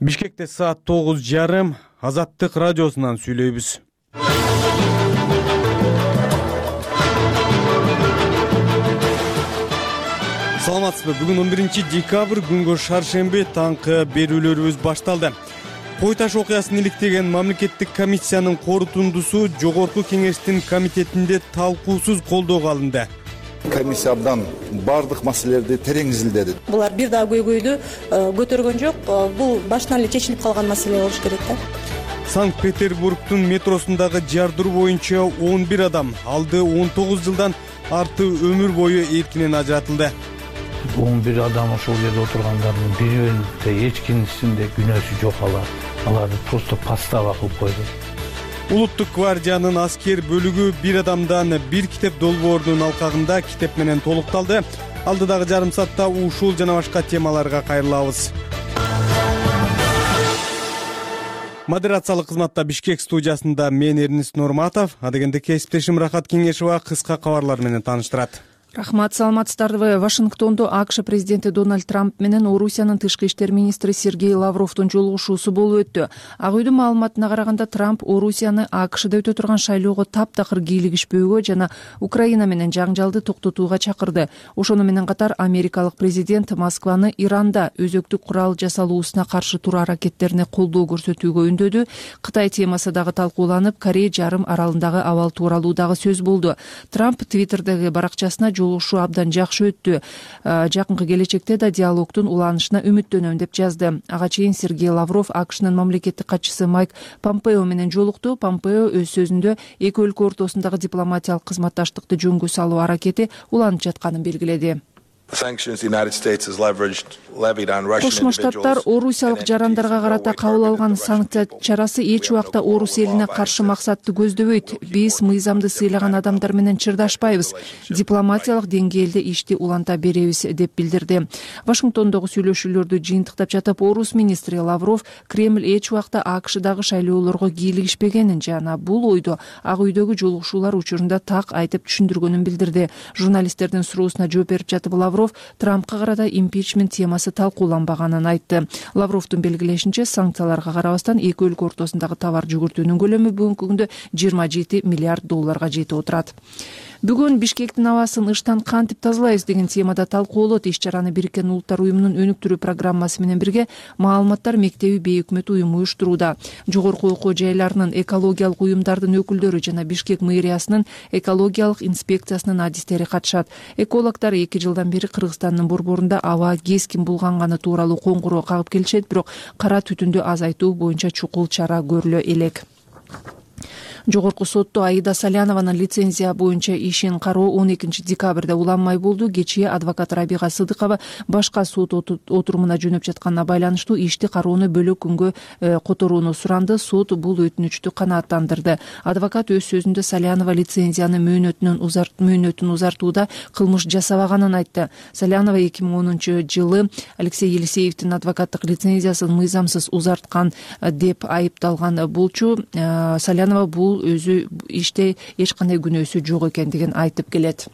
Бишкекте саат 9:30 Азаттык радиосунан сүйлөйбүз. Саламатсызбы? Бүгүн 11 декабрь, күнгө шаршемби, таңкы берүүлөрүбүз башталды. Кой таш окуясын иликтеген мамлекеттик комиссиянын корутундусу Жогорку Кеңештин комитетинде талкуусуз колдоого алынды. Комиссия абдан бардык маселелерди терең изилдеди. Булар бир дагы көйгөйдү көтөргөн жок. Бул башынан эле чечилип калган маселе болуш керек да. Санкт-Петербургдун метросундагы жардыруу боюнча 11 адам алды 19 жылдан арты өмүр бою эркинен ажыратылды. 11 адам ошол жерде отургандардын бирөөндө эч кимдин күнөөсү жок. Аларды просто подстава кылып койду. Улуттук гвардиянын аскер бөлүгү бир адамдан бир китеп долбоордун алкагында китеп менен толукталды. Алдыдагы жарым саатта ушул жана башка темаларга кайрылабыз. Модерациялык кызматта Бишкек студиясында мен Эрнис Нурматов, адегенде кесиптешим Рахат Кеңешова кыска кабарлар менен тааныштырат. Рахмат, саламатсыздарбы. Вашингтондо АКШ президенти Дональд Трамп менен Орусиянын тышкы иштер министри Сергей Лавровдун жолугушуусу болуп өттү. Ак үйдүн маалыматына караганда Трамп Орусияны АКШда өтө турган шайлоого таптакыр кийлигишпөөгө жана Украина менен жаңжалды токтотууга чакырды. Ошону менен катар америкалык президент Москваны Иранда өзөктүк курал жасалуусуна каршы туруу аракеттерине колдоо көрсөтүүгө үндөдү. Кытай темасы дагы талкууланып, Корей жарым аралындагы абал тууралуу дагы сөз болду. Трамп Твиттердеги баракчасына жолугушуу абдан жакшы өттү. Жакынкы келечекте да диалогдун уланышына үмүттөнөм деп жазды. Ага чейин Сергей Лавров АКШнын мамлекеттик катчысы Майк Помпео менен жолукту. Помпео өз сөзүндө эки өлкө ортосундагы дипломатиялык кызматташтыкты жөнгө салуу аракети уланып жатканын белгиледи. Кошмо Штаттар орусиялык жарандарга карата кабыл алган санкция чарасы эч убакта орус элине каршы максатты көздөбөйт. Биз мыйзамды сыйлаган адамдар менен чырдашпайбыз. Дипломатиялык деңгээлде ишти уланта беребиз деп билдирди. Вашингтондогу сүйлөшүүлөрдү жыйынтыктап жатып, орус министри Лавров Кремль эч убакта АКШдагы шайлоолорго кийлигишпегенин жана бул ойду Ак үйдөгү жолугушуулар учурунда так айтып түшүндүргөнүн билдирди. Журналисттердин суроосуна жооп берип жатып Лавров Трампка карата импичмент темасы талкууланбаганын айтты. Лавровдун белгилешинче, санкцияларга карабастан эки өлкө ортосундагы товар жүгүртүүнүн көлөмү бүгүнкү күндө $27 миллиард жетип отурат. Бүгүн Бишкектин абасын ыштан кантип тазалайбыз деген темада талкуулот. Иш-чараны Бириккен Улуттар уюмунун өнүктүрүү программасы менен бирге Маалыматтар мектеби бейөкмөт уюму уюштурууда. Жогорку окуу жайларынын экологиялык уюмдардын өкүлдөрү жана Бишкек мэриясынын экологиялык инспекциясынын адистери катышат. Экологдор 2 жылдан бери Кыргызстандын борборунда аба кескин булганганы тууралуу коңгуроо кагып келишет, бирок кара түтүндү азайтуу боюнча чукул чара көрүлө элек. Жогорку сотто Аида Салянованын лицензия боюнча ишин кароо 12 декабрда уланмай болду. Кечээ адвокат Рабига Сыдыкова башка сот отурумуна жөнөп жатканына байланыштуу ишти кароону бөлөк күнгө которууну суранды. Сот бул өтүнүчтү канааттандырды. Адвокат өз сөзүндө Салянова лицензияны мөөнөтүн узартууда кылмыш жасабаганын айтты. Салянова 2010 жылы Алексей Елисеевдин адвокаттык лицензиясын мыйзамсыз узарткан деп айыпталган болчу. Салянова бул өзү иште эч кандай күнөөсү жок экендигин айтып келет.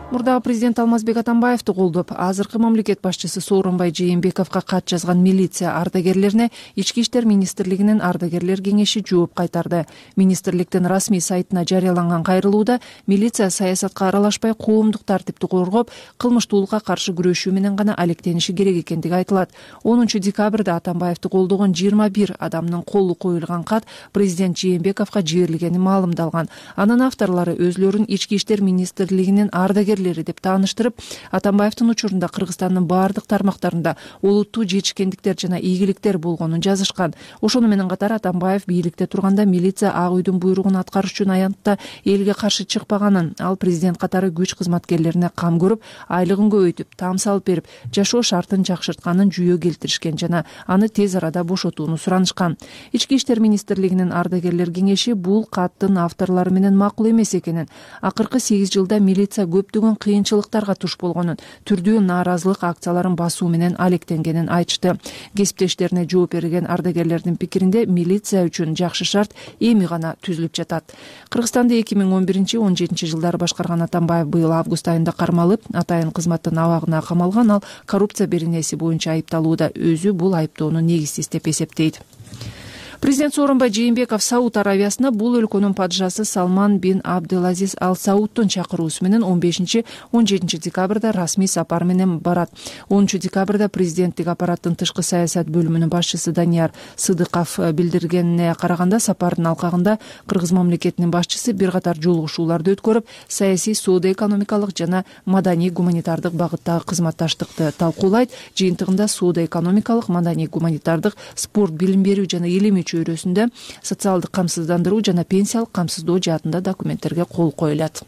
Мурдагы президент Алмазбек Атамбаевди колдоп, азыркы мамлекет башчысы Сооронбай Жээнбековго кат жазган милиция ардагерлерине Ички иштер министрлигинин ардагерлер кеңеши жооп кайтарды. Министрликтин расмий сайтына жарыяланган кайрылууда милиция саясатка аралашпай, коомдук тартипти коргоп, кылмыштуулукка каршы күрөшүү менен гана алектениши керек экендиги айтылат. 10 декабрда Атамбаевди колдогон 21 адамдын колу коюлган кат президент Жээнбековго жиберилгени маалымдалган. Анын авторлору өзлөрүн Ички иштер министрлигинин ардагерлери деп тааныштырып, Атамбаевдин учурунда Кыргызстандын бардык тармактарында олуттуу жетишкендиктер жана ийгиликтер болгонун жазышкан. Ошону менен катар Атамбаев бийликте турганда милиция Ак үйдүн буйругун аткарыш үчүн аянтта элге каршы чыкпаганын, ал президент катары күч кызматкерлерине кам көрүп, айлыгын көбөйтүп, таам салып берип, жашоо шартын жакшыртканын жүйө келтиришкен жана аны тез арада бошотууну суранышкан. Ички иштер министрлигинин ардагерлер кеңеши бул каттын авторлору менен макул эмес экенин, акыркы 8 жылда милиция көптөгөн көптөгөн кыйынчылыктарга туш болгонун, түрдүү нааразылык акцияларын басуу менен алектенгенин айтышты. Кесиптештерине жооп берген ардагерлердин пикиринде милиция үчүн жакшы шарт эми гана түзүлүп жатат. Кыргызстанды 2011-17 жылдары башкарган Атамбаев быйыл август айында кармалып, атайын кызматтын абагына камалган. Ал коррупция беренеси боюнча айыпталууда. Өзү бул айыптоону негизсиз деп эсептейт. Президент Сооронбай Жээнбеков Сауд Аравиясына бул өлкөнүн падышасы Салман бин Абделазиз Ал Саудтун чакыруусу менен 15-17 декабрда расмий сапар менен барат. 10 декабрда президенттик аппараттын тышкы саясат бөлүмүнүн башчысы Данияр Сыдыков билдиргенине караганда, сапардын алкагында Кыргыз мамлекетинин башчысы бир катар жолугушууларды өткөрүп, саясий, соода-экономикалык жана маданий-гуманитардык багыттагы кызматташтыкты талкуулайт. Жыйынтыгында соода-экономикалык, маданий-гуманитардык, спорт, билим берүү жана илимий чөйрөсүндө социалдык камсыздандыруу жана пенсиялык камсыздоо жаатында документтерге кол коюлат.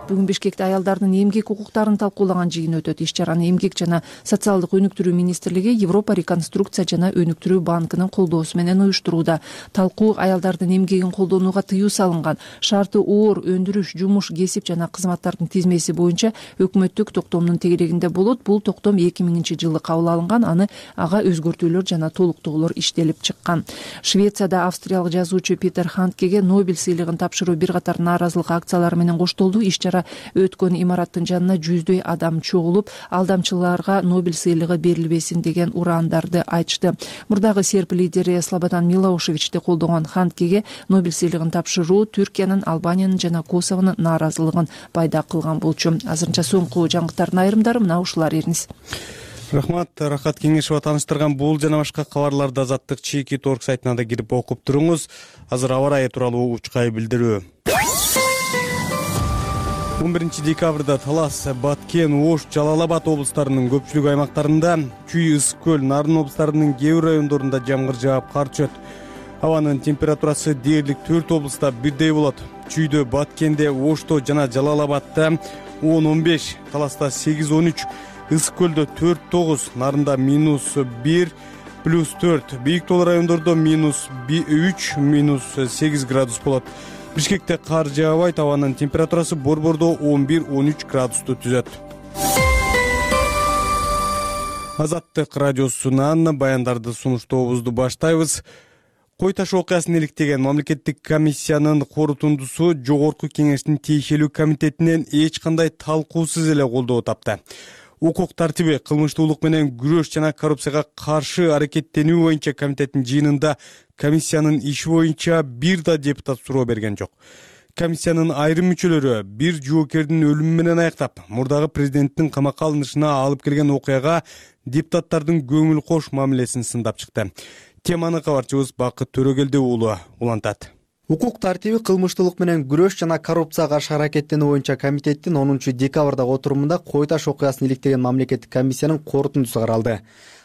Бүгүн Бишкекте аялдардын эмгек укуктарын талкуулаган жыйын өтөт. Иш-чараны Эмгек жана социалдык өнүктүрүү министрлиги Европа реконструкция жана өнүктүрүү банкынын колдоосу менен уюштурууда. Талкуу аялдардын эмгегин колдонууга тыюу салынган, шарты оор өндүрүш, жумуш, кесип жана кызматтардын тизмеси боюнча өкмөттүк токтомдун тегерегинде болот. Бул токтом 2000-жылы кабыл алынган, ага өзгөртүүлөр жана толуктоолор иштелип чыккан. Швецияда австриялык жазуучу Питер Ханткеге Нобель сыйлыгын тапшыруу бир катар нааразылык акциялары менен коштолду. Иш-чара өткөн имараттын жанына жүздөй адам чогулуп, алдамчыларга Нобель сыйлыгы берилбесин деген ураандарды айтышты. Мурдагы серб лидери Слободан Милошевичти колдогон Ханткеге Нобель сыйлыгын тапшыруу Түркиянын, Албаниянын жана Косовонун нааразылыгын пайда кылган болчу. Азырынча соңку жаңылыктардын айрымдары мына ушулар эрiniz. Рахмат, Рахат Кеңешова тааныштырган бул жана башка кабарларды Азаттык Чекит орг сайтына да кирип окуп туруңуз. Азыр аба ырайы тууралуу учкай билдирүү. 11 декабрда Талас, Баткен, Ош, Жалал-Абад облустарынын көпчүлүк аймактарында, Чүй, Ысык көл, Нарын облустарынын кээ бир райондорунда жамгыр жаап, кар түшөт. Абанын температурасы дээрлик 4 облуста бирдей болот. Чүйдө, Баткенде, Ошто жана Жалал-Абадта 10-15, Таласта 8-13, Ысык көлдө 4-9, Нарында -1, +4, бийик тоо райондордо -3, -8 градус болот. Бишкекте кар жаабайт, абанын температурасы Борбордо 11-13 градусту түзөт. Азаттык радиосунан баяндарды сунуштообузду баштайбыз. Кой таш окуясын иликтеген мамлекеттик комиссиянын корутундусу Жогорку Кеңештин тиешелүү комитетинен эч кандай талкуусуз эле колдоо тапты. Укук тартиби, кылмыштуулук менен күрөш жана коррупцияга каршы аракеттенүү боюнча комитеттин жыйынында комиссиянын иши боюнча бир да депутат суроо берген жок. Комиссиянын айрым мүчөлөрү бир жоокердин өлүмү менен аяктап, мурдагы президенттин камакка алынышына алып келген окуяга депутаттардын көңүл кош мамилесин сындап чыкты. Теманы кабарчыбыз Бакыт Төрөгелди уулу улантат. Укук тартиби, кылмыштуулук менен күрөш жана коррупцияга каршы аракеттенүү боюнча комитеттин 10 декабрдагы отурумунда Кой таш окуясын иликтеген мамлекеттик комиссиянын корутундусу каралды.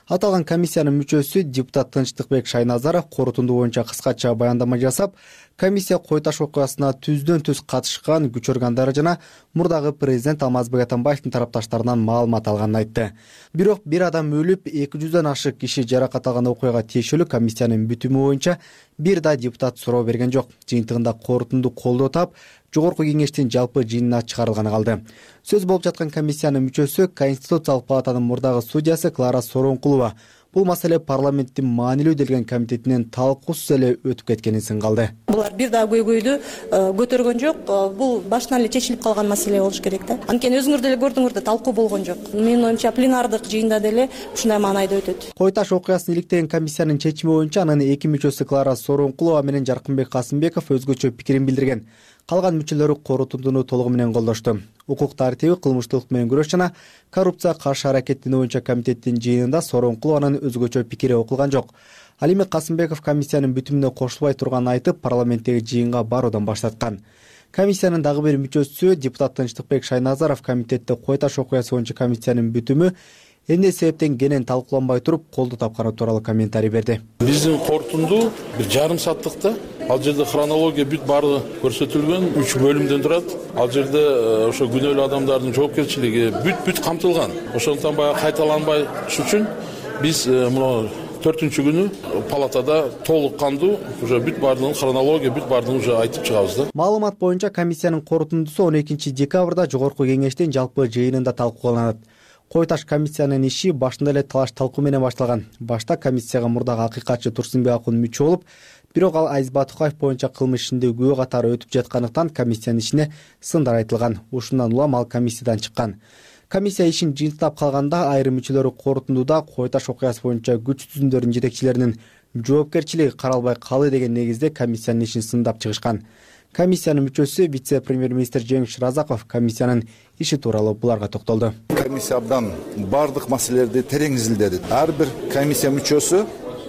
Аталган комиссиянын мүчөсү депутат Тынчтыкбек Шайназаров корутунду боюнча кыскача баяндама жасап, комиссия Кой таш окуясына түздөн-түз катышкан күч органдары жана мурдагы президент Алмазбек Атамбаевдин тарапташтарынан маалымат алганын айтты. Бирок бир адам өлүп, 200дөн ашык киши жаракат алган окуяга тиешелүү комиссиянын бүтүмү боюнча бир да депутат суроо берген жок. Жыйынтыгында корутунду колдоо тап, Жогорку Кеңештин жалпы жыйынына чыгарылганы калды. Сөз болуп жаткан комиссиянын мүчөсү Конституциялык палатанын мурдагы судьясы Клара Сооронкулова бул маселе парламенттин маанилүү делген комитетинен талкуусуз эле өтүп кеткенин сынгалды. Булар бир да көйгөйдү көтөргөн жок. Бул башынан эле чечилип калган маселе болуш керек да. Анткени өзүңөр деле көрдүңөр да, талкуу болгон жок. Менин оюмча пленардык жыйында деле ушундай маанайда өтөт. Кой таш окуясын иликтеген комиссиянын чечими боюнча анын эки мүчөсү Клара Сооронкулова менен Жаркынбек Касымбеков өзгөчө пикирин билдирген. Калган мүчөлөрү корутундуну толугу менен колдошту. Укук тартиби, кылмыштуулук менен күрөш жана коррупцияга каршы аракеттенүү боюнча комитеттин жыйынында Сооронкулованын өзгөчө пикири окулган жок. Ал эми Касымбеков комиссиянын бүтүмүнө кошулбай турганын айтып, парламенттеги жыйынга баруудан баш тарткан. Комиссиянын дагы бир мүчөсү депутат Тынчтыкбек Шайназаров комитетте Кой таш окуясы боюнча комиссиянын бүтүмү эмне себептен кенен талкууланбай туруп колдоо тапканы тууралуу комментарий берди. Биздин корутунду бир жарым сааттыкта, ал жерде хронология бүт баары көрсөтүлгөн, 3 бөлүмдөн турат. Ал жерде ошо күнөөлүү адамдардын жоопкерчилиги бүт камтылган. Ошондон баягы кайталанбаш үчүн биз мына 4-күнү палатада толук кандуу уже бүт баардыгын хронология бүт баардыгын уже айтып чыгабыз да. Маалымат боюнча комиссиянын корутундусу 12 декабрда жогорку кеңештин жалпы жыйынында талкууланат. Кой таш комиссиянын иши башында эле талаш талкуу менен башталган. Башта комиссияга мурдагы акыйкатчы Турсунбек Акун мүчө болуп, бирок ал Азиз Батукаев боюнча кылмыш ишинде күбө катары өтүп жаткандыктан комиссиянын ишине сындар айтылган. Ушундан улам ал комиссиядан чыккан. Комиссия ишин жыйынтыктап калганда айрым мүчөлөрү корутундуда Кой таш окуясы боюнча күч түзүмдөрдүн жетекчилеринин жоопкерчилиги каралбай калды деген негизде комиссиянын ишин сындап чыгышкан. Комиссиянын мүчөсү вице-премьер-министр Жеңиш Разаков комиссиянын иши тууралуу буларга токтолду. Комиссия абдан бардык маселелерди терең изилдеди. Ар бир комиссия мүчөсү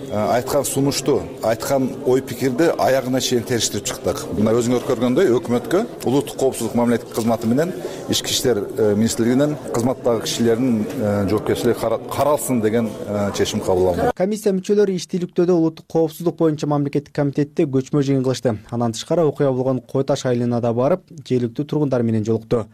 айткан сунушту, айткан ой пикирди аягына чейин териштирип чыктык. Мына өзүңөр көргөндөй өкмөткө улуттук коопсуздук мамлекеттик кызматы менен Ички иштер министрлигинин кызматтагы кишилердин жоопкерчилиги каралсын деген чечим кабыл алынды. Комиссия мүчөлөрү иштүүлүктөдө улуттук коопсуздук боюнча мамлекеттик комитетте көчмө жыйын кылышты. Андан тышкары окуя болгон Кой таш айылына да барып, жергиликтүү тургундар менен жолукту.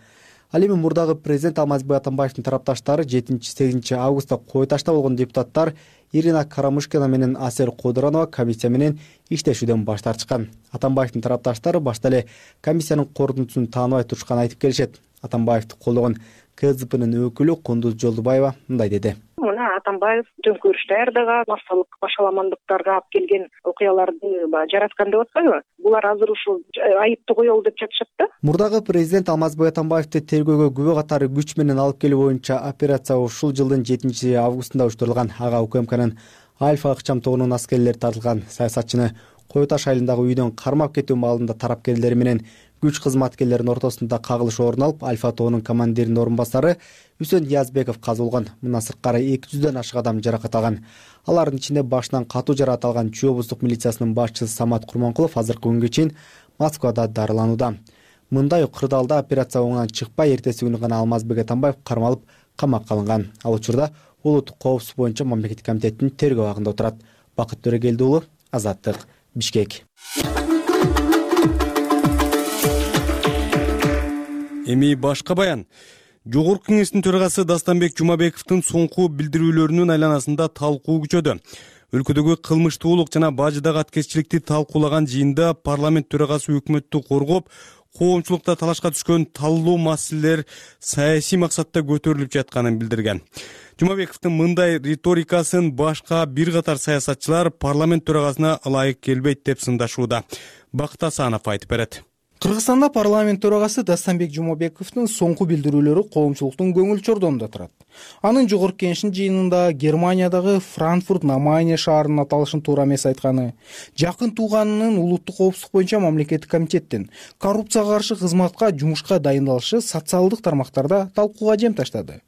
Ал эми мурдагы президент Алмазбек Атамбаевдин тарапташтары 7-8 августта Кой ташта болгон депутаттар Ирина Карамушкина менен Асер Кудуранова комиссия менен иштешүүдөн баш тартышкан. Атамбаевдин тарапташтары башта эле комиссиянын корутундусун тааныбай турушканын айтып келишет. Атамбаевди колдогон КЗПнын өкүлү Кундуз Жолдубаева мындай деди. Мына Атамбаев төңкөрүш даярдаган, массалык башаламандыктарга алып келген окуяларды жараткан деп атпайбы? Булар азыр ушул айыпты коелу деп жатышат да. Мурдагы президент Алмазбек Атамбаевди тергөөгө күбө катары күч менен алып келүү боюнча операция ушул жылдын 7 августунда уюштурулган. Ага УКМКнын Альфа ыкчам тобунун аскерлери тартылган. Саясатчыны Кой таш айылындагы үйдөн кармап кетүү маалында тарапкерлери менен күч кызматкерлеринин ортосунда кагылыш орун алып, Альфа тобунун командиринин орун басары Үсөн Язбеков казылган. Мындан сырткары 200дөн ашык адам жаракат алган. Алардын ичинде башынан катуу жаракат алган Чүй облустук милициясынын башчысы Самат Курманкулов азыркы күнгө чейин Москвада дарыланууда. Мындай кырдаалда операция оңунан чыкпай, эртеси күнү гана Алмазбек Атамбаев кармалып камакка алынган. Ал учурда улуттук коопсуздук боюнча мамлекеттик комитеттин тергөө абагында отурат. Бакыт Төрөгелди уулу, Азаттык, Бишкек. Эми башка баян. Жогорку кеңештин төрагасы Дастанбек Жумабековдун соңку билдирүүлөрүнүн айланасында талкуу күчөдү. Өлкөдөгү кылмыштуулук жана бажыдагы аткезчиликти талкуулаган жыйында парламент төрагасы өкмөттү коргоп, коомчулукта талашка түшкөн таллуу маселелер саясий максатта көтөрүлүп жатканын билдирген. Жумабековдун мындай риторикасын башка бир катар саясатчылар парламент төрагасына ылайык келбейт деп сындашууда. Бакыт Асанов айтып берет. Кыргызстанда парламент төрагасы Дастанбек Жумабековдун соңку билдирүүлөрү коомчулуктун көңүл чордонунда турат. Анын жогорку кеңештин жыйынында Германиядагы Франкфурт на Майне шаарынын аталышын туура эмес айтканы, жакын тууганынын улуттук коопсуздук боюнча мамлекеттик комитеттин коррупцияга каршы кызматка жумушка дайындалышы социалдык тармактарда талкууга жем таштады.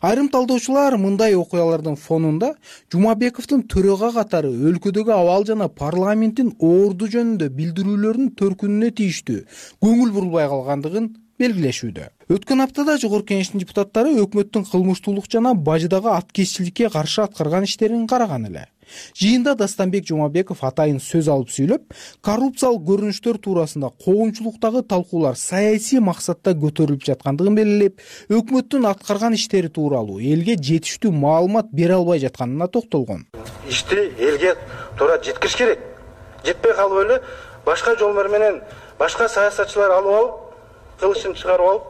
Айрым талдоочулар мындай окуялардын фонунда Жумабековдун төрага катары өлкөдөгү абал жана парламенттин орду жөнүндө билдирүүлөрүнүн төркүнүнө тийиштүү көңүл бурулбай калгандыгын белгилешүүдө. Өткөн аптада жогорку кеңештин депутаттары өкмөттүн кылмыштуулук жана бажыдагы аткезчиликке каршы аткарган иштерин караган эле. Жыйында Дастанбек Жумабеков атайын сөз алып сүйлөп, коррупциялык көрүнүштөр туурасында коомчулуктагы талкуулар саясий максатта көтөрүлүп жаткандыгын белгилеп, өкмөттүн аткарган иштери тууралуу элге жетиштүү маалымат бере албай жатканына токтолгон. Ишти элге туура жеткириш керек. Жетпей калып эле башка жолдор менен башка саясатчылар алып алып, кылышын чыгарып алып,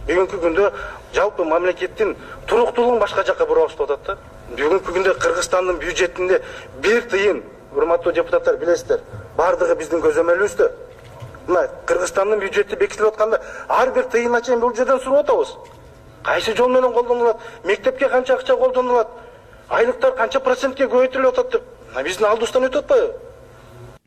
бүгүнкү күндө жалпы мамлекеттин туруктуулугун башка жакка буруп атат да. Бүгүнкү күндө Кыргызстандын бюджетинде 1 тыйын, урматтуу депутаттар билесиздер, бардыгы биздин көзөмөлүбүздө. Мына Кыргызстандын бюджети бекитилип атканда ар бир тыйынга чейин бул жерден сурап атабыз. Кайсы жол менен колдонулат, мектепке канча акча колдонулат, айлыктар канча процентке көбөйтүлүп атат деп. Биздин алдыбыздан өтүп атпайбы?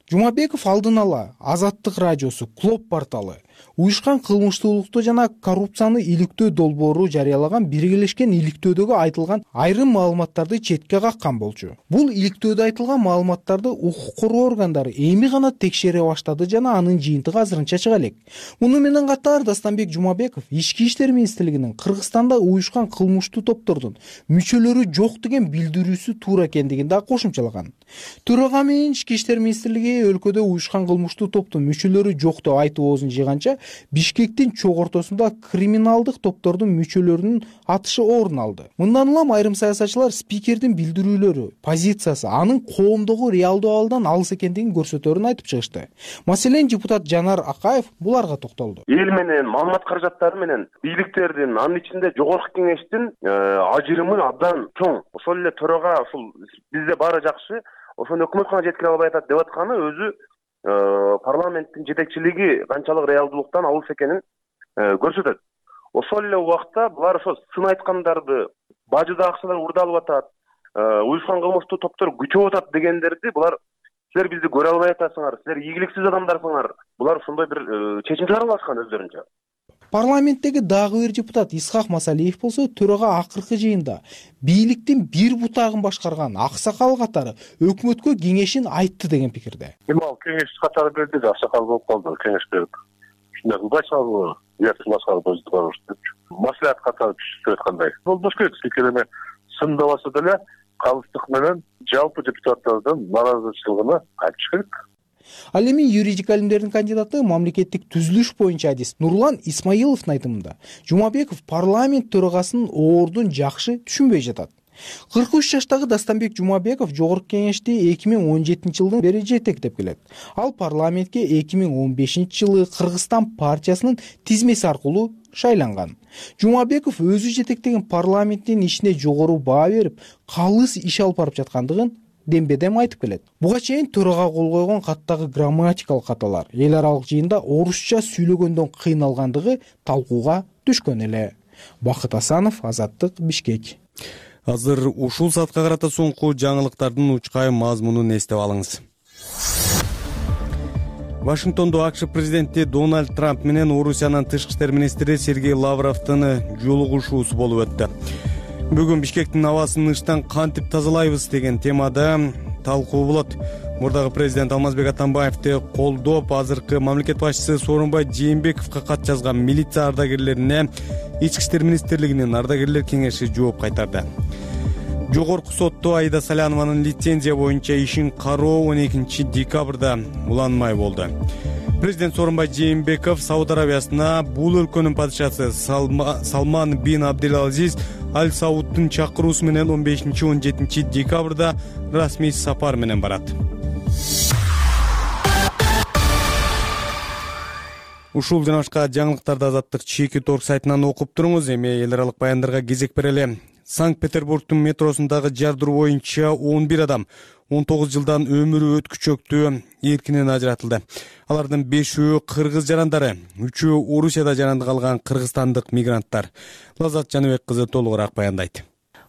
Жумабеков алдын ала Азаттык радиосу, Клоп порталы, уюшкан кылмыштуулукту жана коррупцияны иликтөө долбоору жарыялаган биргелешкен иликтөөдөгү айтылган айрым маалыматтарды четке каккан болчу. Бул иликтөөдө айтылган маалыматтарды укук коргоо органдары эми гана текшере баштады жана анын жыйынтыгы азырынча чыга элек. Муну менен катар Дастанбек Жумабеков Ички иштер министрлигинин Кыргызстанда уюшкан кылмыштуу топтордун мүчөлөрү жок деген билдирүүсү туура экендигин да кошумчалаган. Төрага менен Ички иштер министрлиги өлкөдө уюшкан кылмыштуу топтун мүчөлөрү жок деп айтып оозун жыйганча боюнча Бишкектин чок ортосунда криминалдык топтордун мүчөлөрүнүн атышы орун алды. Мындан улам айрым саясатчылар спикердин билдирүүлөрү, позициясы анын коомдогу реалдуу абалдан алыс экендигин көрсөтөөрүн айтып чыгышты. Маселен, депутат Жанар Акаев буларга токтолду. Эл менен маалымат каражаттары менен бийликтердин, анын ичинде жогорку кеңештин ажырымы абдан чоң. Ошол эле төрага ушул бизде баары жакшы, ошону өкмөткана жеткире албай атат деп атканы өзү парламенттин жетекчилиги канчалык реалдуулуктан алыс экенин көрсөтөт. Ошол эле убакта булар ошо сын айткандарды, бажыда акчалар урдалып атат, уюшкан кылмыштуу топтор күчөп атат дегендерди булар силер бизди көрө албай атасыңар, силер ийгиликсиз адамдарсыңар. Булар ошондой бир чечим чыгара алышкан өздөрүнчө. Парламенттеги дагы бир депутат Исхак Масалиев болсо төрага акыркы жыйында бийликтин бир бутагын башкарган аксакал катары өкмөткө кеңешин айтты деген пикирде. Ал кеңеш катары берди, аксакал болуп калды, кеңеш берип. Ушундай кылбайсыңарбы? Уяктыласыңар өзү барыш деп. Маслихат катары түшүп аткандай. Болбош керек, спикерине сындабаса деле калыстык менен жалпы депутаттардын нааразычылыгына айтыш керек. Ал эми юридик алимдердин кандидаты, мамлекеттик түзүлүш боюнча адис Нурлан Исмаиловдун айтымында Жумабеков парламент төрагасынын ордун жакшы түшүнбөй жатат. 43 жаштагы Дастанбек Жумабеков жогорку кеңешти 2017 жылдын бери жетектеп келет. Ал парламентке 2015 жылы Кыргызстан партиясынын тизмеси аркылуу шайланган. Жумабеков өзү жетектеген парламенттин ишине жогору баа берип, калыс иш алып барып жаткандыгын дембедем айтып келет. Буга чейин төрага кол койгон каттагы грамматикалык каталар эл аралык жыйында орусча сүйлөгөндөн кыйналгандыгы талкууга түшкөн эле. Бакыт Асанов, Азаттык, Бишкек. Азыр ушул саатка карата соңку жаңылыктардын учкай мазмунун эстеп алыңыз. Вашингтондо АКШ президенти Дональд Трамп менен Орусиянын тышкы иштер министри Сергей Лавровдун жолугушуусу болуп өттү. Бүгүн Бишкектин абасын ыштан кантип тазалайбыз деген темада талкуу болот. Мурдагы президент Алмазбек Атамбаевди колдоп, азыркы мамлекет башчысы Сооронбай Жээнбековго кат жазган милиция ардагерлерине Ички иштер министрлигинин ардагерлер кеңеши жооп кайтарды. Жогорку сотто Аида Салянованын лицензия боюнча ишин кароо 12 декабрда уланмай болду. Президент Сооронбай Жээнбеков Сауд Арабиясына бул өлкөнүн падышасы Салман бин Абдел-Азиз Аль Сауддун чакыруусу менен 15-17 декабрда расмий сапар менен барат. Ушул жана башка жаңылыктарды Азаттык чеки торг сайтынан окуп туруңуз. Эми эл аралык баяндарга кезек берели. Санкт-Петербургдун метросундагы жардыруу боюнча 11 адам 19 жылдан өмүрү өткүчөктүү эркинен ажыратылды. Алардын 5-өө кыргыз жарандары, 3-өө Орусияда жарандык алган кыргызстандык мигранттар. Лазат Жаныбек кызы толугураак баяндайт.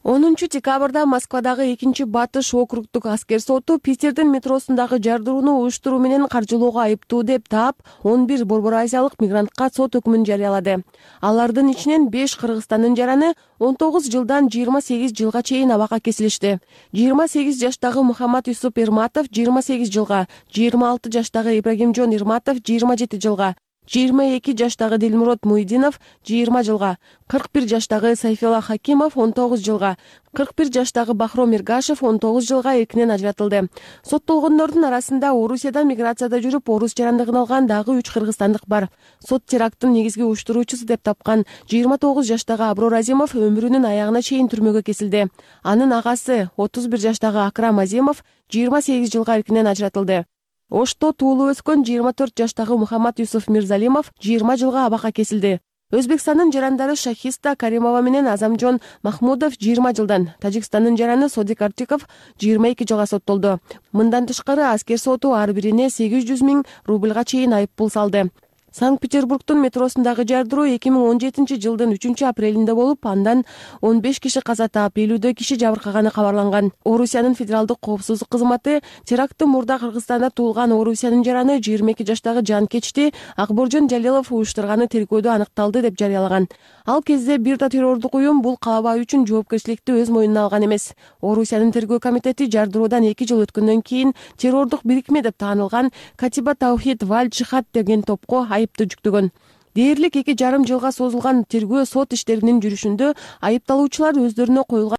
10 декабрда Москвадагы 2-Батыш округдук аскер соту Питердин метросундагы жардырууну уюштуруу менен каржылоого айыптуу деп таап 11 Борбор Азиялык мигрантка сот өкмүн жарыялады. Алардын ичинен 5 Кыргызстандын жараны 19 жылдан 28 жылга чейин абакка кесилишти. 28 жаштагы Мухаммад Юсуп Ирматов 28 жылга, 26 жаштагы Ибрагимжон Ирматов 27 жылга, 22 жаштагы Дилмурод Муйдинов 20 жылга, 41 жаштагы Сайфилла Хакимов 19 жылга, 41 жаштагы Бахром Иргашев 19 жылга эркинен ажыратылды. Соттолгондордун арасында Орусиядан миграцияда жүрүп, орус жарандыгын алган дагы 3 кыргызстандык бар. Сот теракттын негизги уюштуруучусу деп тапкан 29 жаштагы Аброр Азимов өмүрүнүн аягына чейин түрмөгө кесилди. Анын агасы 31 жаштагы Акрам Азимов 28 жылга эркинен ажыратылды. Ошто туулуп өскөн 24 жаштагы Мухаммад Юсуф Мирзалимов 20 жылга абакка кесилди. Өзбекстандын жарандары Шахиста Каримова менен Азамжон Махмудов 20 жылдан, Тажикстандын жараны Содик Артиков 22 жылга соттолду. Мындан тышкары аскер соту ар бирине 800 000 рубльга чейин айыппул салды. Санкт-Петербургдун метросундагы жардыруу 2017 жылдын 3-апрелинде болуп, андан 15 киши каза таап, 50 киши жабыркаганы кабарланган. Орусиянын федералдык коопсуздук кызматы теракты мурда Кыргызстанда туулган Орусиянын жараны 22 жаштагы Жанкечти Акборжон Жалилов уюштурганы тергөөдө аныкталды деп жарыялаган. Ал кезде бир да террордук уюм бул калабаа үчүн жоопкерчиликти өз мойнуна алган эмес. Орусиянын тергөө комитети жардыруудан 2 жыл өткөндөн кийин террордук бирикме деп таанылган Катиба Таухид Валь Джихад деген топко айыпты жүктөгөн. Дээрлик 2,5 жылга созулган тергөө сот иштеринин жүрүшүндө айыпталуучулар өздөрүнө коюлган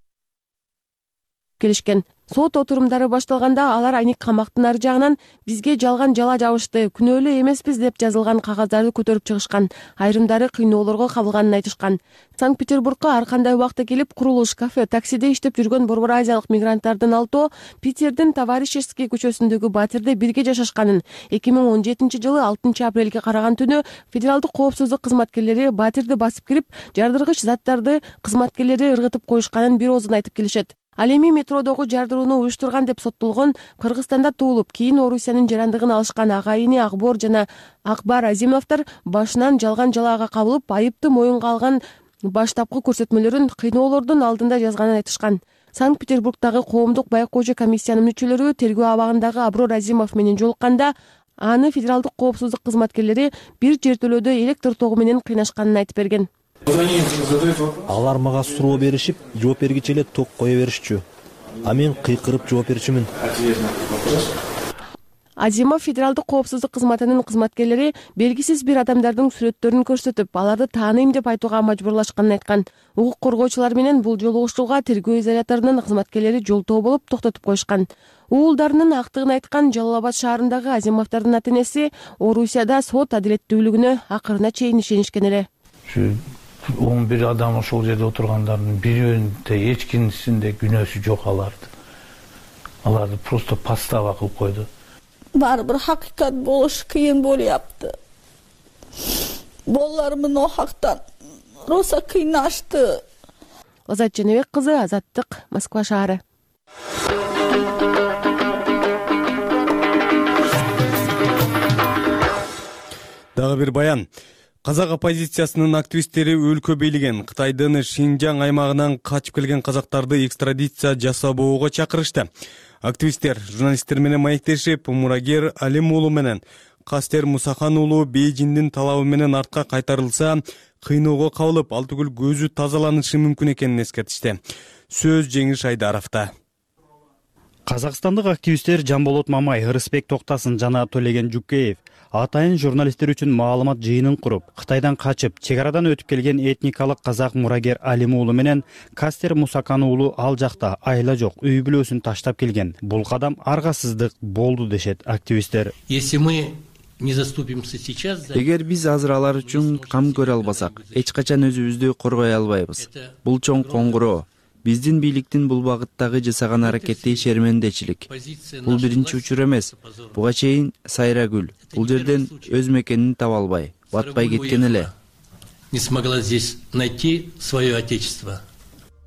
келишкен. Сот отурумдары башталганда алар айник камактын ары жагынан бизге жалган жала жабышты, күнөөлүү эмеспиз деп жазылган кагаздарды көтөрүп чыгышкан. Айрымдары кыйноолорго кабылганын айтышкан. Санкт-Петербургка ар кандай убакта келип, курулуш, кафе, таксиде иштеп жүргөн Борбор Азиялык мигранттардын алтоо Питердин Товарищеский көчөсүндөгү батирде бирге жашашканын. 2017-жылы 6-апрелге караган түнү федералдык коопсуздук кызматкерлери батирди басып кирип, жардыргыч заттарды кызматкерлери ыргытып коюшканын бир оозун айтып келишет. Ал эми метродогу жардырууну уюштурган деп соттолгон, Кыргызстанда туулуп, кийин Орусиянын жарандыгын алышкан агайыны Акбор жана Акбар Азимовдор башынан жалган жалаага кабылып, айыпты моюнга алган баштапкы көрсөтмөлөрүн кыйноолордун алдында жазганын айтышкан. Санкт-Петербургдагы коомдук байкоочу комиссиянын мүчөлөрү тергөө абагындагы Аброр Азимов менен жолукканда, аны федералдык коопсуздук кызматкерлери бир жертөлөөдө электр тогу менен кыйнашканын айтып берген. Алар мага суроо беришип, жооп бергиче эле ток кое беришчү. А мен кыйкырып жооп берчүмүн. Азимов федералдык коопсуздук кызматынын кызматкерлери белгисиз бир адамдардын сүрөттөрүн көрсөтүп, аларды тааныйм деп айтууга мажбурлашканын айткан. Укук коргоочулар менен бул жолугушууга тергөө изоляторунун кызматкерлери жолтоо болуп токтотуп коюшкан. Уулдарынын актыгын айткан Жалал Абад шаарындагы Азимовдордун ата-энеси Орусияда сот адилеттүүлүгүнө акырына чейин ишенишкен эле. 11 адам ошол жерде отургандардын бирөөндө эч кимисинде күнөөсү жок аларды. Аларды просто подстава кылып койду. Баары бир хакыйкат болуш кыйын болуяпты. Балаларымдын о хактан роса кыйнашты. Азат Жаныбек кызы, Азаттык, Москва шаары. Дагы бир баян. Казак оппозициясынын активисттери өлкө бийлиген Кытайдын Шинжаң аймагынан качып келген казактарды экстрадиция жасабоого чакырышты. Активисттер журналисттер менен маектешип, Мурагер Алим уулу менен Кастер Мусахан уулу Бейжиңдин талабы менен артка кайтарылса, кыйноого кабылып, ал түгүл көзү тазаланышы мүмкүн экенин эскертишти. Сөз Жеңиш Айдаровдо. Казакстандык активисттер Жамболот Мамай, Ырысбек Токтасын жана Төлеген Жукеев атайын журналисттер үчүн маалымат жыйынын куруп, Кытайдан качып, чек арадан өтүп келген этникалык казак Мурагер Алим уулу менен Кастер Мусакан уулу ал жакта айла жок, үй бүлөсүн таштап келген. Бул кадам аргасыздык болду дешет активисттер. Эгер биз азыр алар үчүн кам көрө албасак, эч качан өзүбүздү коргой албайбыз. Бул чоң коңгуроо. Биздин бийликтин бул багыттагы жасаган аракети шермендечилик. Бул биринчи учур эмес. Буга чейин Сайрагүл бул жерден өз мекенин таба албай, батпай кеткен эле. Не смогла здесь найти свое отечество.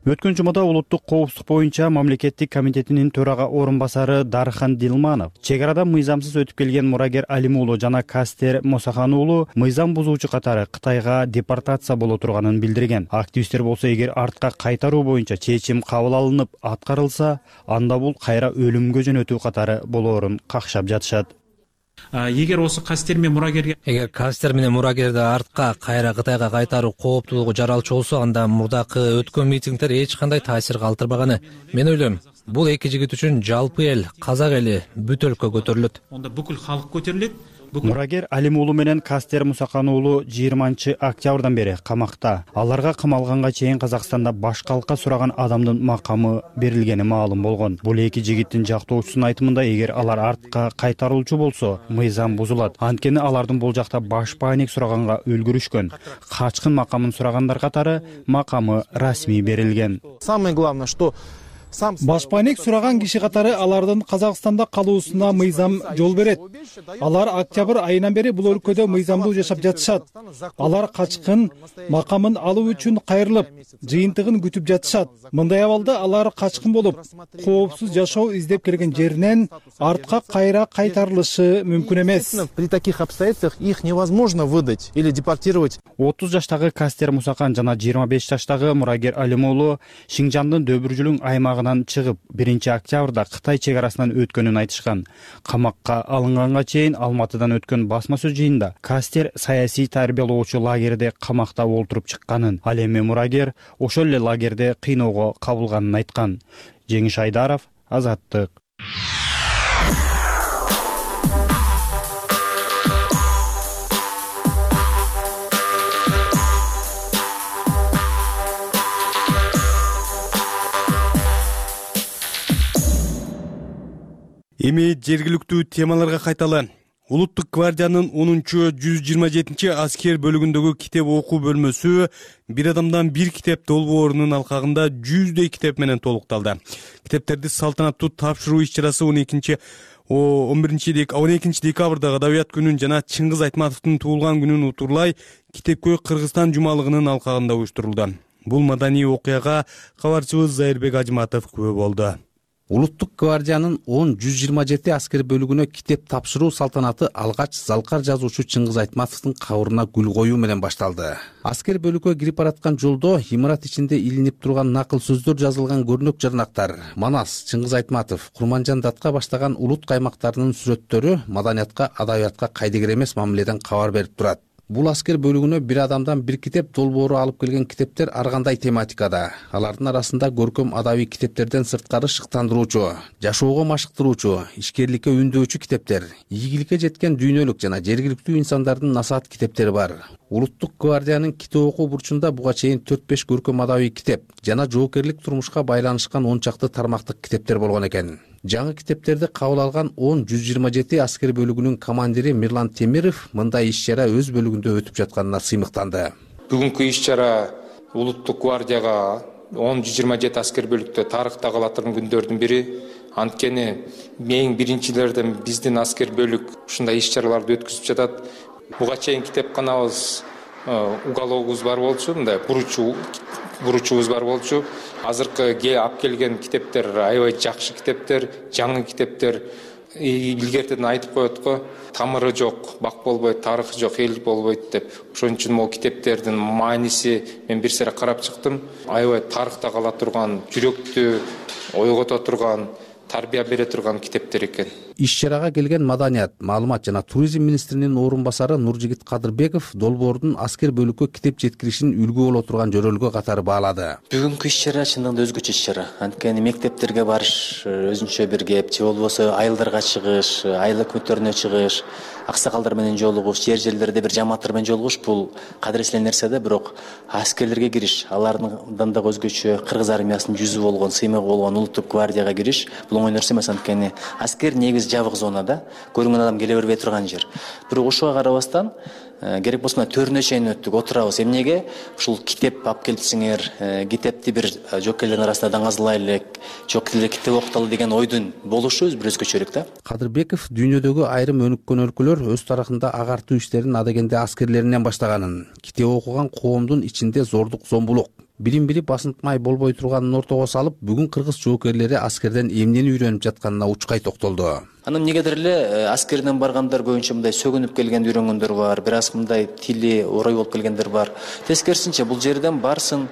Өткөн жумада улуттук коопсуздук боюнча мамлекеттик комитетинин төрага орун басары Дархан Дилманов чек арадан мыйзамсыз өтүп келген Мурагер Алим уулу жана Кастер Мусахан уулу мыйзам бузуучу катары Кытайга депортация боло турганын билдирген. Активисттер болсо, эгер артка кайтаруу боюнча чечим кабыл алынып аткарылса, анда бул кайра өлүмгө жөнөтүү катары болоорун какшап жатышат. Эгер Кастер менен Мурагерди артка кайра Кытайга кайтаруу кооптуулугу жаралчу болсо, анда мурдакы өткөн митингдер эч кандай таасир калтырбаганы. Мен ойлойм, бул эки жигит үчүн жалпы эл, казак эли бүт өлкө көтөрүлөт. Онда бүкүл халык көтөрүлөт. Мурагер Алим уулу менен Кастер Мусахан уулу 20-октябрдан бери камакта. Аларга камалганга чейин Казакстанда башкалыкка сураган адамдын макамы берилгени маалым болгон. Бул эки жигиттин жактоочусунун айтымында, эгер алар артка кайтарылчу болсо, мыйзам бузулат. Анткени алардын бул жакта баш пайник сураганга үлгүрүшкөн. Качкын макамын сурагандар катары макамы расмий берилген. Самое главное, что баш пайник сураган киши катары алардын Казакстанда калуусуна мыйзам жол берет. Алар октябрь айынан бери бул өлкөдө мыйзамдуу жашап жатышат. Алар качкын макамын алуу үчүн кайрылып, жыйынтыгын күтүп жатышат. Мындай абалда алар качкын болуп, коопсуз жашоо издеп келген жеринен артка кайра кайтарылышы мүмкүн эмес. При таких обстоятельствах их невозможно выдать или депортировать. 30 жаштагы Кастер Мусакан жана 25 жаштагы Мурагер Алим уулу Шинжандын Дөбүржүлүң аймагынан чыгып 1-октябрда Кытай чек арасынан өткөнүн айтышкан. Камакка алынганга чейин Алматыдан өткөн басма сөз жыйында Кастер саясий тарбиялоочу лагерде камакта олтуруп чыкканын, ал эми Мурагер ошол эле лагерде кыйноого кабылганын айткан. Жеңиш Айдаров, Азаттык. Эми жергиликтүү темаларга кайталы. Улуттук гвардиянын 10-127 аскер бөлүгүндөгү китеп окуу бөлмөсү бир адамдан бир китеп долбоорунун алкагында 100дөй китеп менен толукталды. Китептерди салтанаттуу тапшыруу иш-чарасы 12 декабрдагы Адабият күнүн жана Чыңгыз Айтматовдун туулган күнүн утурлай Китепкөй Кыргызстан жумалыгынын алкагында уюштурулду. Бул маданий окуяга кабарчыбыз Зайырбек Ажматов күбө болду. Улуттук гвардиянын 10-127 аскер бөлүгүнө китеп тапшыруу салтанаты алгач залкар жазуучу Чыңгыз Айтматовдун кабырына гүл коюу менен башталды. Аскер бөлүккө кирип бараткан жолдо имарат ичинде илинип турган накыл сөздөр жазылган көрнөк жарнактар, Манас, Чыңгыз Айтматов, Курманжан Датка баштаган улут каймактарынын сүрөттөрү маданиятка, адабиятка кайдыгер эмес мамиледен кабар берип турат. Бул аскер бөлүгүнө бир адамдан бир китеп долбоору алып келген китептер ар кандай тематикада. Алардын арасында көркөм адабий китептерден сырткары шыктандыруучу, жашоого машыктыруучу, ишкерликке үндөочү китептер, ийгиликке жеткен дүйнөлүк жана жергиликтүү инсандардын насаат китептери бар. Улуттук гвардиянын китеп окуу бурчунда буга чейин 4-5 көркөм адабий китеп жана жоокерлик турмушка байланышкан 10 чакты тармактык китептер болгон экен. Жаңы китептерди кабыл алган 10-127 аскер бөлүгүнүн командири Мирлан Темиров мындай иш-чара өз бөлүгүндө өтүп жатканына сыймыктанды. Бүгүнкү иш-чара Улуттук гвардияга 10-127 аскер бөлүктө тарыхта кала турган күндөрдүн бири. Анткени эң биринчилерден биздин аскер бөлүк ушундай иш-чараларды өткүзүп жатат. Буга чейин китепканабыз, угологубуз бар болчу, мындай буручубуз бар болчу. Азыркы алып келген китептер аябай жакшы китептер, жаңы китептер. Илгертеден айтып коет го, тамыры жок, бак болбойт, тарыхы жок, эл болбойт деп. Ошон үчүн могу китептердин мааниси мен бир сыйра карап чыктым. Аябай тарыхта кала турган, жүрөктү ойгото турган, тарбия бере турган китептер экен. Иш-чарага келген маданият, маалымат жана туризм министринин орун басары Нуржигит Кадырбеков долбоордун аскер бөлүккө китеп жеткиришин үлгү боло турган жөрөлгө катары баалады. Бүгүнкү иш-чара чындыгында өзгөчө иш-чара. Анткени мектептерге барыш өзүнчө бир кеп, же болбосо айылдарга чыгыш, айыл өкмөттөрүнө чыгыш, аксакалдар менен жолугуш, жерлерде бир жамааттар менен жолугуш бул кадыреттелген нерсе да, бирок аскерлерге кириш, алардын дагы өзгөчө кыргыз армиясынын жүзү болгон, сыймыгы болгон Улуттук гвардияга кириш бул оңой нерсе эмес. Анткени аскер негизи жабык зонада, көрүнгөн адам келе бербей турган жер. Бирок ошого карабастан керек болсо төрүнө чейин өттүк, отурабыз. Эмнеге? Ушул китеп алып келипсиңер, китепти бир жоокерлердин арасында даңазылайлык, китеп окуталы деген ойдун болушу бир өзгөчөлүк да. Кадырбеков дүйнөдөгү айрым өнүккөн өлкөлөр өз тарыхында агартуу иштерин адегенде аскерлеринен баштаганын, китеп окуган коомдун ичинде зордук, зомбулук, бирин-бири басынтмай болбой турганын ортого салып, бүгүн кыргыз жоокерлери аскерден эмнени үйрөнүп жатканына учкай токтолду. Анан эмнегедир эле аскерден баргандар көбүнчө мындай сөгүнүп келген үйрөнгөндөр бар, бир аз мындай тили орой болуп келгендер бар. Тескерисинче бул жерден барсын,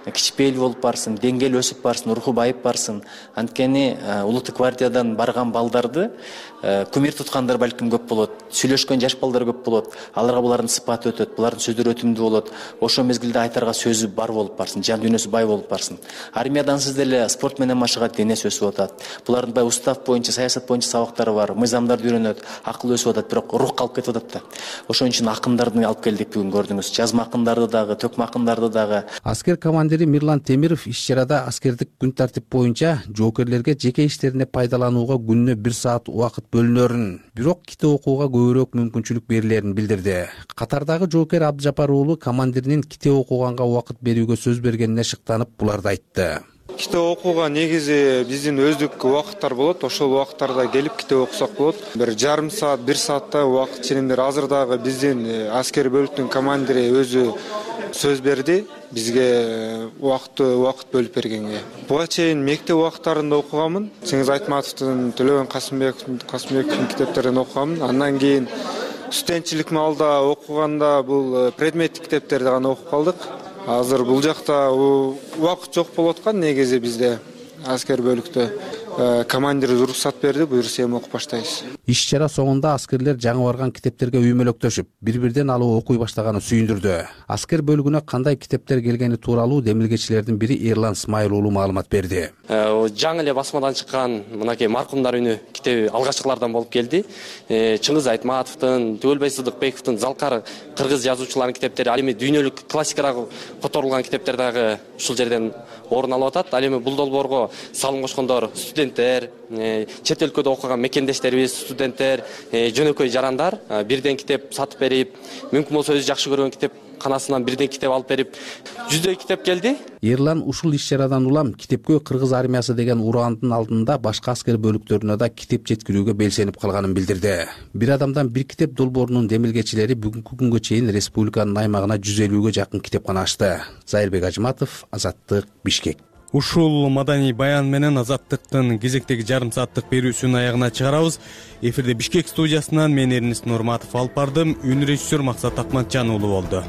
кичпейил болуп барсын, деңгээл өсүп барсын, руху байып барсын. Анткени Улуттук гвардиядан барган балдарды күмүр туткандар балким көп болот, сүйлөшкөн жаш балдар көп болот. Аларга булардын сыпаты өтөт, булардын сөздөрү өтүмдүү болот. Ошол мезгилде айтарга сөзү бар болуп барсын, жан дүйнөсү бай болуп барсын. Армиядансыз деле спорт менен машыгат, денеси өсүп атат. Булардын бай устав боюнча, саясат боюнча сабактары бар, мыйзамдарды үйрөнөт, акыл өсүп атат, бирок рух калып кетип атат да. Ошон үчүн акындарды алып келдик бүгүн, көрдүңүз. Жазма акындарды дагы, төкмө акындарды дагы. Аскер командири Мирлан Темиров иш-чарада аскердик күн тартип боюнча жоокерлерге жеке иштерине пайдаланууга күнүнө 1 саат убакыт бөлүнөрүн, бирок китеп окууга көбүрөөк мүмкүнчүлүк берилерин билдирди. Катардагы жоокер Абдыжапар уулу командиринин китеп окуганга убакыт берүүгө сөз бергенине шыктанып, буларды айтты. Китеп окууга негизи биздин өздүк убакыттар болот. Ошол убакыттарда келип китеп окусак болот. Бир жарым саат, 1 сааттай убакыт ченемдер. Азыр дагы биздин аскер бөлүктүн командири өзү сөз берди бизге убакыт бөлүп бергенге. Буга чейин мектеп убакыттарында окуганмын. Чыңгыз Айтматовдун, Төлөгөн Касымбековдун китептерин окуганмын. Андан кийин студентчилик маалда окуганда бул предметтик китептерди гана окуп калдык. Азыр бул жакта убакыт жок болуп аткан негизи бизде аскер бөлүктө. Командир уруксат берди, буюрса эми окуп баштайбыз. Иш-чара соңунда аскерлер жаңы барган китептерге үймөлөктөшүп, бири-бирден алып окуй баштаганы сүйүндүрдү. Аскер бөлүгүнө кандай китептер келгени тууралуу демилгечилердин бири Эрлан Смайыл уулу маалымат берди. Жаңы эле басмадан чыккан мынакей маркумдар үнү китеби алгачкылардан болуп келди. Чыңгыз Айтматовдун, Түгөлбай Сыдыкбековдун, залкар кыргыз жазуучуларынын китептери, ал эми дүйнөлүк классикага которулган китептер дагы ушул жерден орун алып атат. Ал эми бул долбоорго салым кошкондор студенттер, чет өлкөдө окуган мекендештерибиз, студенттер, жөнөкөй жарандар бирден китеп сатып берип, мүмкүн болсо өзү жакшы көргөн китеп канасынан бирден китеп алып берип, 100дөй китеп келди. Эрлан ушул иш чарадан улам китепкөй кыргыз армиясы деген ураандын алдында башка аскер бөлүктөрүнө да китеп жеткирүүгө белсенип калганын билдирди. Бир адамдан бир китеп долбоорунун демилгечилери бүгүнкү күнгө чейин республиканын аймагына 150ге жакын китепкана ачты. Зайырбек Ажыматов, Азаттык, Бишкек. Ушул маданий баян менен Азаттыктын кезектеги жарым сааттык берүүсүнүн аягына чыгарабыз. Эфирде Бишкек студиясынан мен Эрнис Нурматов алып бардым. Үн режиссер Максат Акматжан уулу болду.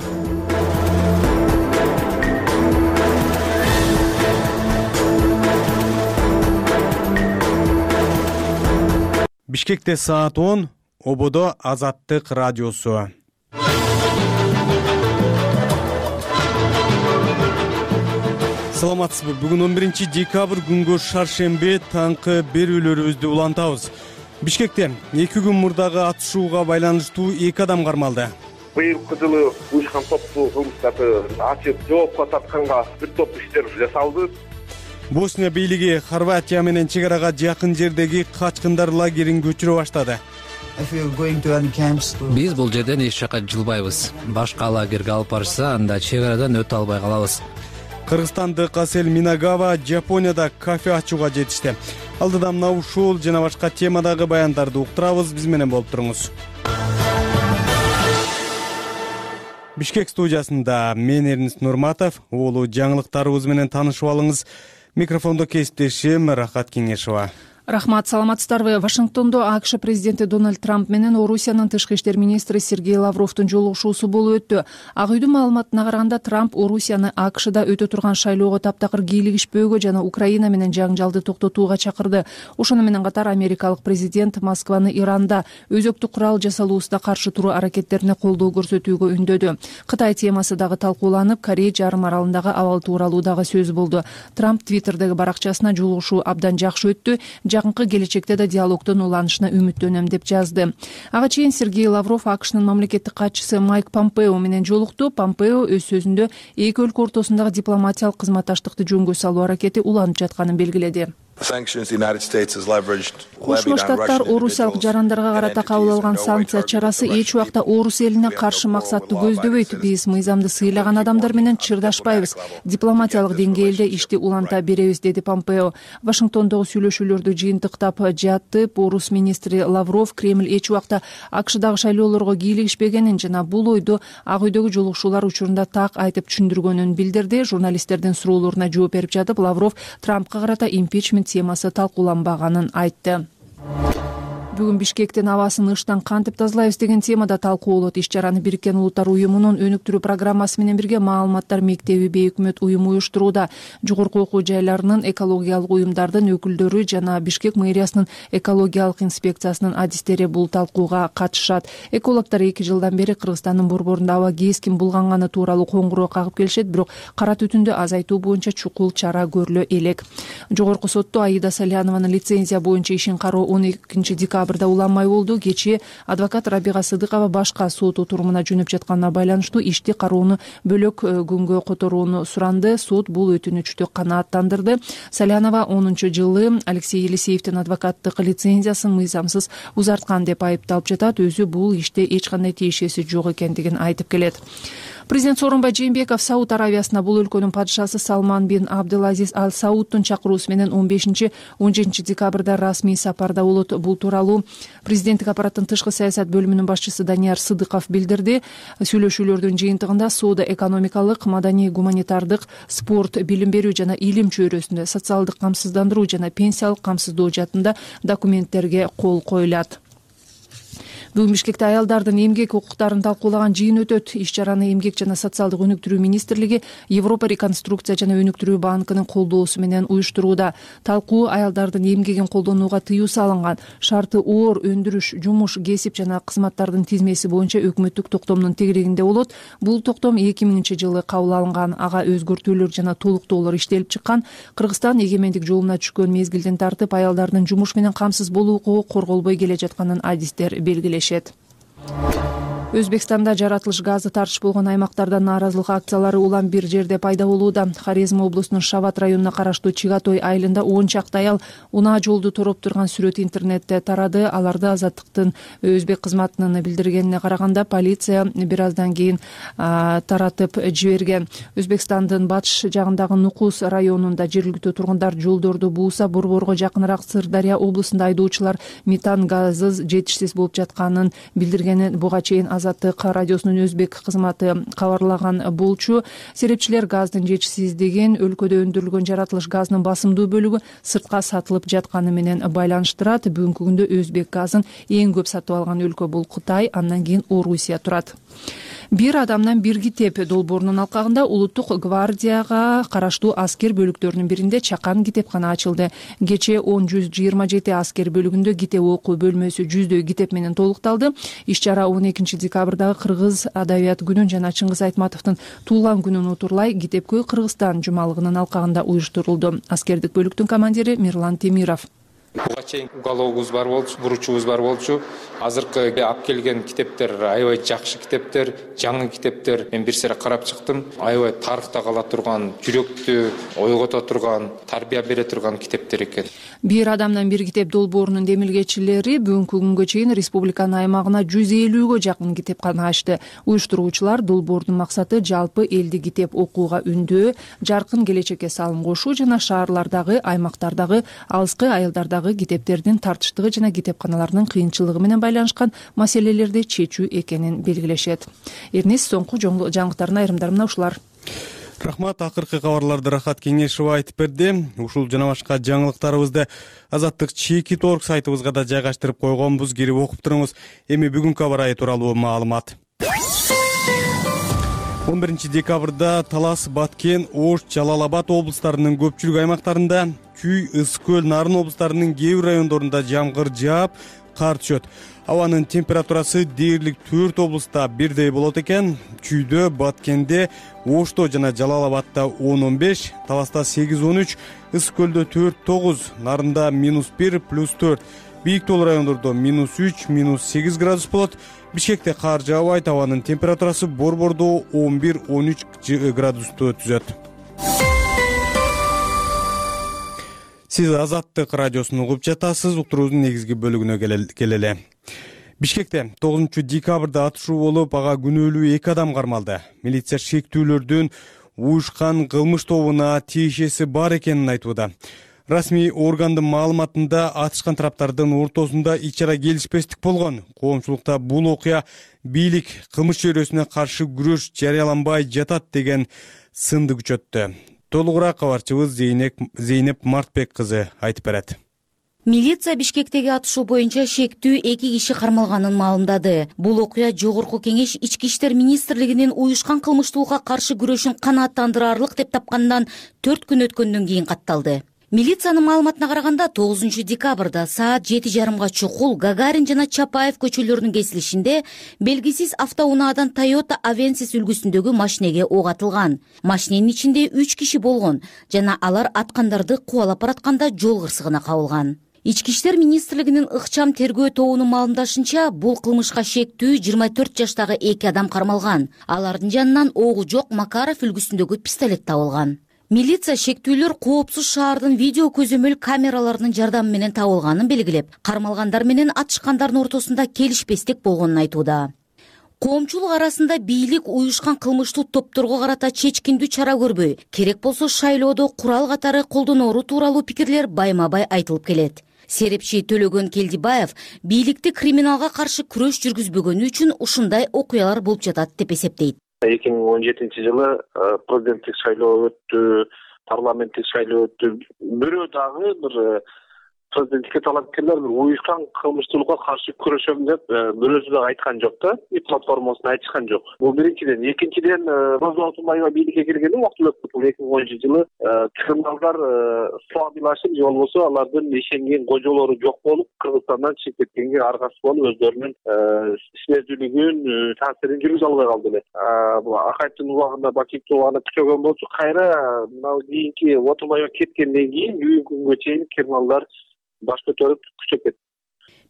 Бишкекте саат 10, ободо Азаттык радиосу. Саламатсызбы? Бүгүн 11 декабрь күнгө шаршембе таңкы берүүлөрүбүздү улантабыз. Бишкекте 2 күн мурдагы атышууга байланыштуу 2 адам кармалды. Быйылкы жылы уюшкан топтуу кылмыштарды ачып жоопко тартканга бир топ иштер жасалды. Босния бийлиги Хорватия менен чегарага жакын жердеги качкындар лагерин көчүрө баштады. Биз бул жерден эч жака жылбайбыз. Башка лагерге алып барышса, анда чегарадан өтө албай калабыз. Кыргызстандык Асель Минагава Жапонияда кафе ачууга жетишти. Алдыда мына ушул жана башка темадагы баяндарды уктурабыз. Биз менен болуп туруңуз. Бишкек студиясында мен Эрнис Нурматов, уулу жаңылыктарыбыз менен таанышып алыңыз. Микрофондо кесиптешим Рахат Кеңешова. Рахмат, саламатсыздарбы? Вашингтондо АКШ президенти Дональд Трамп менен Орусиянын тышкы иштер министри Сергей Лавровдун жолугушуусу болуп өттү. Ак үйдүн маалыматына караганда Трамп Орусияны АКШда өтө турган шайлоого таптакыр кийлигишпөөгө жана Украина менен жаңжалды токтотууга чакырды. Ошону менен катар америкалык президент Москваны Иранда өзөктү курал жасалуусуна каршы туруу аракеттерине колдоо көрсөтүүгө үндөдү. Кытай темасы дагы талкууланып, Корей жарым аралындагы абал тууралуу дагы сөз болду. Трамп Твиттердеги баракчасына жолугушуу абдан жакшы өттү. Жакынкы келечекте да диалогдун уланышына үмүттөнөм деп жазды. Ага чейин Сергей Лавров АКШнын мамлекеттик катчысы Майк Помпео менен жолукту. Помпео өз сөзүндө эки өлкө ортосундагы дипломатиялык кызматташтыкты жөнгө салуу аракети уланып жатканын белгиледи. Кошмо Штаттар орусиялык жарандарга карата кабыл алган санкция чарасы эч убакта орус элине каршы максатты көздөбөйт. Биз мыйзамды сыйлаган адамдар менен чырдашпайбыз. Дипломатиялык деңгээлде ишти уланта беребиз, деди Помпео. Вашингтондогу сүйлөшүүлөрдү жыйынтыктап жатып, орус министри Лавров Кремль эч убакта АКШдагы шайлоолорго кийлигишпегенин жана бул ойду Ак үйдөгү жолугушуулар учурунда так айтып түшүндүргөнүн билдирди. Журналисттердин суроолоруна жооп берип жатып, Лавров Трампка карата импичмент темасы талкууланбаганын айтты. Бүгүн Бишкектин абасын ыштан кантип тазалайбыз деген темада талкуу болот. Иш-чараны Бириккен Улуттар уюмунун өнүктүрүү программасы менен бирге Маалыматтар мектеби бейөкмөт уюму уюштурууда. Жогорку окуу жайларынын экологиялык уюмдардын өкүлдөрү жана Бишкек мэриясынын экологиялык инспекциясынын адистери бул талкууга катышат. Экологдор 2 жылдан бери Кыргызстандын борборунда аба кескин булганганы тууралуу коңгуроо кагып келишет, бирок кара түтүндү азайтуу боюнча чукул чара көрүлө элек. Жогорку сотто Аида Салянованын лицензия боюнча ишин кароо 12 декабрда уланмай болду. Кечээ адвокат Рабига Сыдыкова башка сот отурумуна жөнөп жатканына байланыштуу ишти кароону бөлөк күнгө которууну суранды. Сот бул өтүнүчтү канааттандырды. Салянова 10-жылы Алексей Елисеевдин адвокаттык лицензиясын мыйзамсыз узарткан деп айыпталып жатат. Өзү бул иште эч кандай тиешеси жок экендигин айтып келет. Президент Сооронбай Жээнбеков Сауд Аравиясына бул өлкөнүн падышасы Салман бин Абдулазиз Ал Саудтун чакыруусу менен 15-17 декабрда расмий сапарда болот. Бул тууралуу президенттик аппараттын тышкы саясат бөлүмүнүн башчысы Данияр Сыдыков билдирди. Сүйлөшүүлөрдүн жыйынтыгында соода экономикалык, маданий, гуманитардык, спорт, билим берүү жана илим чөйрөсүндө, социалдык камсыздандыруу жана пенсиялык камсыздоо жаатында документтерге кол коюлат. Бүгүн Бишкекте аялдардын эмгек укуктарын талкуулаган жыйын өтөт. Иш-чараны Эмгек жана социалдык өнүктүрүү министрлиги Европа реконструкция жана өнүктүрүү банкынын колдоосу менен уюштурууда. Талкуу аялдардын эмгегин колдонууга тыюу салынган, шарты оор өндүрүш, жумуш, кесип жана кызматтардын тизмеси боюнча өкмөттүк токтомдун тегерегинде болот. Бул токтом 2000-жылы кабыл алынган. Ага өзгөртүүлөр жана толуктоолор иштелип чыккан. Кыргызстан эгемендик жолуна түшкөн мезгилден тартып аялдардын жумуш менен камсыз болуу укугу корголбой келе жатканын адистер белгилешет. Өзбекстанда жаратылыш газы тартыш болгон аймактарда нааразылык акциялары улам бир жерде пайда болууда. Хорезм облусунун Шабат районуна караштуу Чигатой айылында 10 чакты аял унаа жолду тороп турган сүрөт интернетте тарады. Аларды Азаттыктын өзбек кызматынын билдиргенине караганда полиция бир аздан кийин таратып жиберген. Өзбекстандын батыш жагындагы Нукус районунда жергиликтүү тургундар жолдорду бууса, Борборго жакыныраак Сырдарья облусунда айдоочулар метан газы жетишсиз болуп жатканын билдиргенин буга чейин Азаттык радиосунун өзбек кызматы кабарлаган болчу. Серепчилер газдын жетишсиздигин өлкөдө өндүрүлгөн жаратылыш газынын басымдуу бөлүгү сыртка сатылып жатканы менен байланыштырат. Бүгүнкү күндө өзбек газын эң көп сатып алган өлкө бул Кытай, андан кийин Орусия турат. Бир адамдан бир китеп долбоорунун алкагында Улуттук гвардияга караштуу аскер бөлүктөрүнүн биринде чакан китепкана ачылды. Кечээ 127 аскер бөлүгүндө китеп окуу бөлмөсү 100дөй китеп менен толукталды. Иш чара 12 декабрдагы Кыргыз адабият күнүн жана Чыңгыз Айтматовдун туулган күнүн утурлай Китепкөй Кыргызстан жумалыгынын алкагында уюштурулду. Аскердик бөлүктүн командири Мирлан Темиров: Буга чейин угологубуз бар болчу, буручубуз бар болчу. Азыркы алып келген китептер аябай жакшы китептер, жаңы китептер. Мен бир сере карап чыктым. Аябай тарыхта кала турган, жүрөктү ойгото турган, тарбия бере турган китептер экен. Бир адамдан бир китеп долбоорунун демилгечилери бүгүнкү күнгө чейин республиканын аймагына 150гө жакын китепкана ачты. Уюштуруучулар долбоордун максаты жалпы элди китеп окууга үндөө, жаркын келечекке салым кошуу жана шаарлардагы, аймактардагы, алыскы айылдардагы китептердин тартыштыгы жана китепканалардын кыйынчылыгы менен байланышкан маселелерди чечүү экенин белгилешет. Эрнес, соңку жаңылыктардын айрымдары мына ушулар. Рахмат, акыркы кабарларды Рахат Кеңешова айтып берди. Ушул жана башка жаңылыктарыбызды Азаттык Чекит.org сайтыбызга да жайгаштырып койгонбуз. Кирип окуп туруңуз. Эми бүгүнкү аба ырайы тууралуу маалымат. 11 декабрда Талас, Баткен, Ош, Жалал Абад облустарынын көпчүлүк аймактарында, Күй, Ысык көл, Нарын облустарынын кээ бир райондорунда жамгыр жаап, кар түшөт. Абанын температурасы дээрлик 4 облуста бирдей болот экен. Күйдө, Баткенде, Ошто жана Жалал Абадта 10-15, Таласта 8-13, Ысык көлдө 4-9, Нарында -1, +4. Бийик тоол райондордо -3, -8 градус болот. Бишкекте кар жаабайт, абанын температурасы Борбордо 11-13 градусту түзөт. Сиз Азаттык радиосун угуп жатасыз. Уктуруубуздун негизги бөлүгүнө келели. Бишкекте 9 декабрда атышуу болуп, ага күнөөлүү 2 адам кармалды. Милиция шектүүлөрдүн уюшкан кылмыш тобуна тиешеси бар экенин айтууда. Расмий органдын маалыматында атышкан тараптардын ортосунда ич-чара келишпестик болгон. Коомчулукта бул окуя бийлик кылмыш чөйрөсүнө каршы күрөш жарыяланбай жатат деген сынды күчөттү. Толугураак кабарчыбыз Зейнеп Мартбек кызы айтып берет. Милиция Бишкектеги атышуу боюнча шектүү 2 киши кармалганын маалымдады. Бул окуя Жогорку Кеңеш Ички иштер министрлигинин уюшкан кылмыштуулукка каршы күрөшүн канааттандырарлык деп тапкандан 4 күн өткөндөн кийин катталды. Милициянын маалыматына караганда 9 декабрда саат 7:30 чукул Гагарин жана Чапаев көчөлөрүнүн кесилишинде белгисиз автоунаадан Toyota Avensis үлгүсүндөгү машинеге ок атылган. Машиненин ичинде 3 киши болгон жана алар аткандарды кубалап баратканда жол кырсыгына кабылган. Ички иштер министрлигинин ыкчам тергөө тобунун маалымдашынча, бул кылмышка шектүү 24 жаштагы 2 адам кармалган. Алардын жанынан огу жок Макаров үлгүсүндөгү пистолет табылган. Милиция шектүүлөр коопсуз шаардын видео көзөмөл камераларынын жардамы менен табылганын белгилеп, кармалгандар менен атышкандардын ортосунда келишпестик болгонун айтууда. Коомчулук арасында бийлик уюшкан кылмыштуу топторго карата чечкиндүү чара көрбөй, керек болсо шайлоодо курал катары колдоноору тууралуу пикирлер байма-бай айтылып келет. Серепчи Төлөгөн Келдибаев бийликти криминалга каршы күрөш жүргүзбөгөнү үчүн ушундай окуялар болуп жатат деп эсептейт. 2017-жылы президенттик шайлоо өттү, парламенттик шайлоо өттү. Бирөө дагы бир президенттикке талапкерлер бир уюшкан кылмыштуулукка каршы күрөшөм деп бирөөсү дагы айткан жок да, платформасына айтышкан жок. Бул биринчиден. Экинчиден, Роза Отунбаева бийликке келгенде убактылуу өтүп, 2010-жылы криминалдар слабилашып, же болбосо алардын ишенген кожолору жок болуп, Кыргызстандан чыгып кеткенге аргасы болуп, өздөрүнүн ишмердүүлүгүн, таасирин жүргүзө албай калды эле. Бул Акаевдин убагында Бакиевдин убагында күчөгөн болчу. Кайра мына кийинки Отунбаева кеткенден кийин бүгүнкү күнгө чейин криминалдар баш көтөрүп күчөп кетти.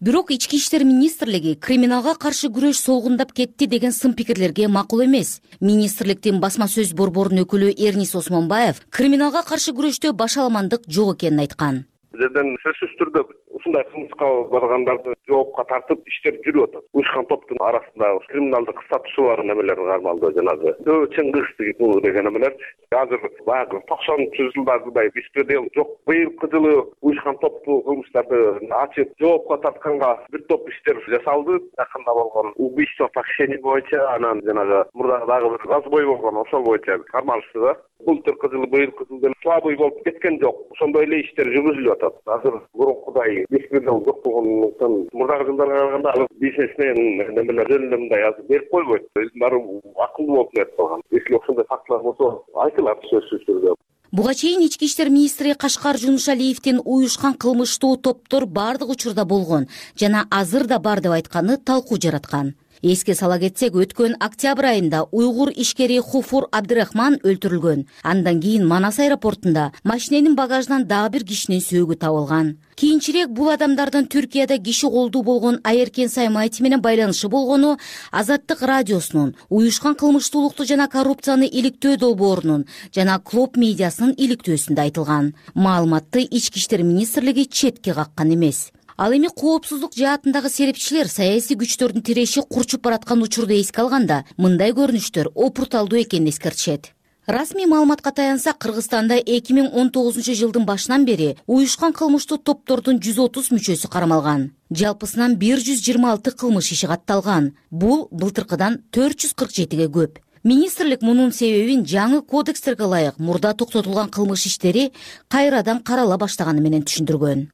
Бирок ички иштер министрлиги криминалга каршы күрөш солгундап кетти деген сын пикирлерге макул эмес. Министрликтин басма сөз борборунун өкүлү Эрнис Осмонбаев криминалга каршы күрөштө башаламандык жок экенин айткан. Жерден сөзсүз түрдө ушундай кылмышка баргандарды жоопко тартып иштер жүрүп атат. Уюшкан топтун арасында криминалдык статусу бар немелер кармалды, жанагы чыңгыз деген немелер. Азыр баягы 90-ч жылдардагы беспредел жок. Быйылкы жылы уюшкан топту кылмыштарды ачып жоопко тартканга бир топ иштер жасалды. Жакында болгон убийство похищение боюнча, анан жанагы мурда дагы бир разбой болгон, ошол боюнча кармалышты да. Былтыркы жылы, быйылкы жылы слабый болуп кеткен жок. Ошондой эле иштер жүргүзүлүп атат. Азыр мурункудай беспредел жок болгондуктан мурдагы жылдарга караганда бизнесмен немелер жөнүндө мындай азыр берип койбойт. Баары акылдуу болуп кетип калган. Если ошондой фактылар болсо айтылат сөзсүз түрдө. Буга чейин ички иштер министри Кашкар Жунушалиевдин уюшкан кылмыштуу топтор бардык учурда болгон жана азыр да бар деп айтканы талкуу жараткан. Эске сала кетсек, өткөн октябрь айында уйгур ишкери Хуфур Абдырахман өлтүрүлгөн. Андан кийин Манас аэропортунда машиненин багажынан дагы бир кишинин сөөгү табылган. Кийинчерээк бул адамдардын Түркияда киши колдуу болгон Айеркен Саймаев менен байланышы болгону Азаттык радиосунун, уюшкан кылмыштуулукту жана коррупцияны иликтөө долбоорунун жана Клоп медиасынын иликтөөсүндө айтылган. Маалыматты ички иштер министрлиги четке каккан эмес. Ал эми коопсуздук жаатындагы серепчилер саясий күчтөрдүн тиреши курчуп бараткан учурду эске алганда, мындай көрүнүштөр опурталдуу экенин эскертишет. Расмий маалыматка таянсак, Кыргызстанда 2019 жылдын башынан бери уюшкан кылмыштуу топтордун 130 мүчөсү кармалган. Жалпысынан 126 кылмыш иши катталган. Бул былтыркыдан 447ге көп. Министрлик мунун себебин жаңы кодекстерге ылайык мурда токтотулган кылмыш иштери кайрадан карала баштаганы менен түшүндүргөн.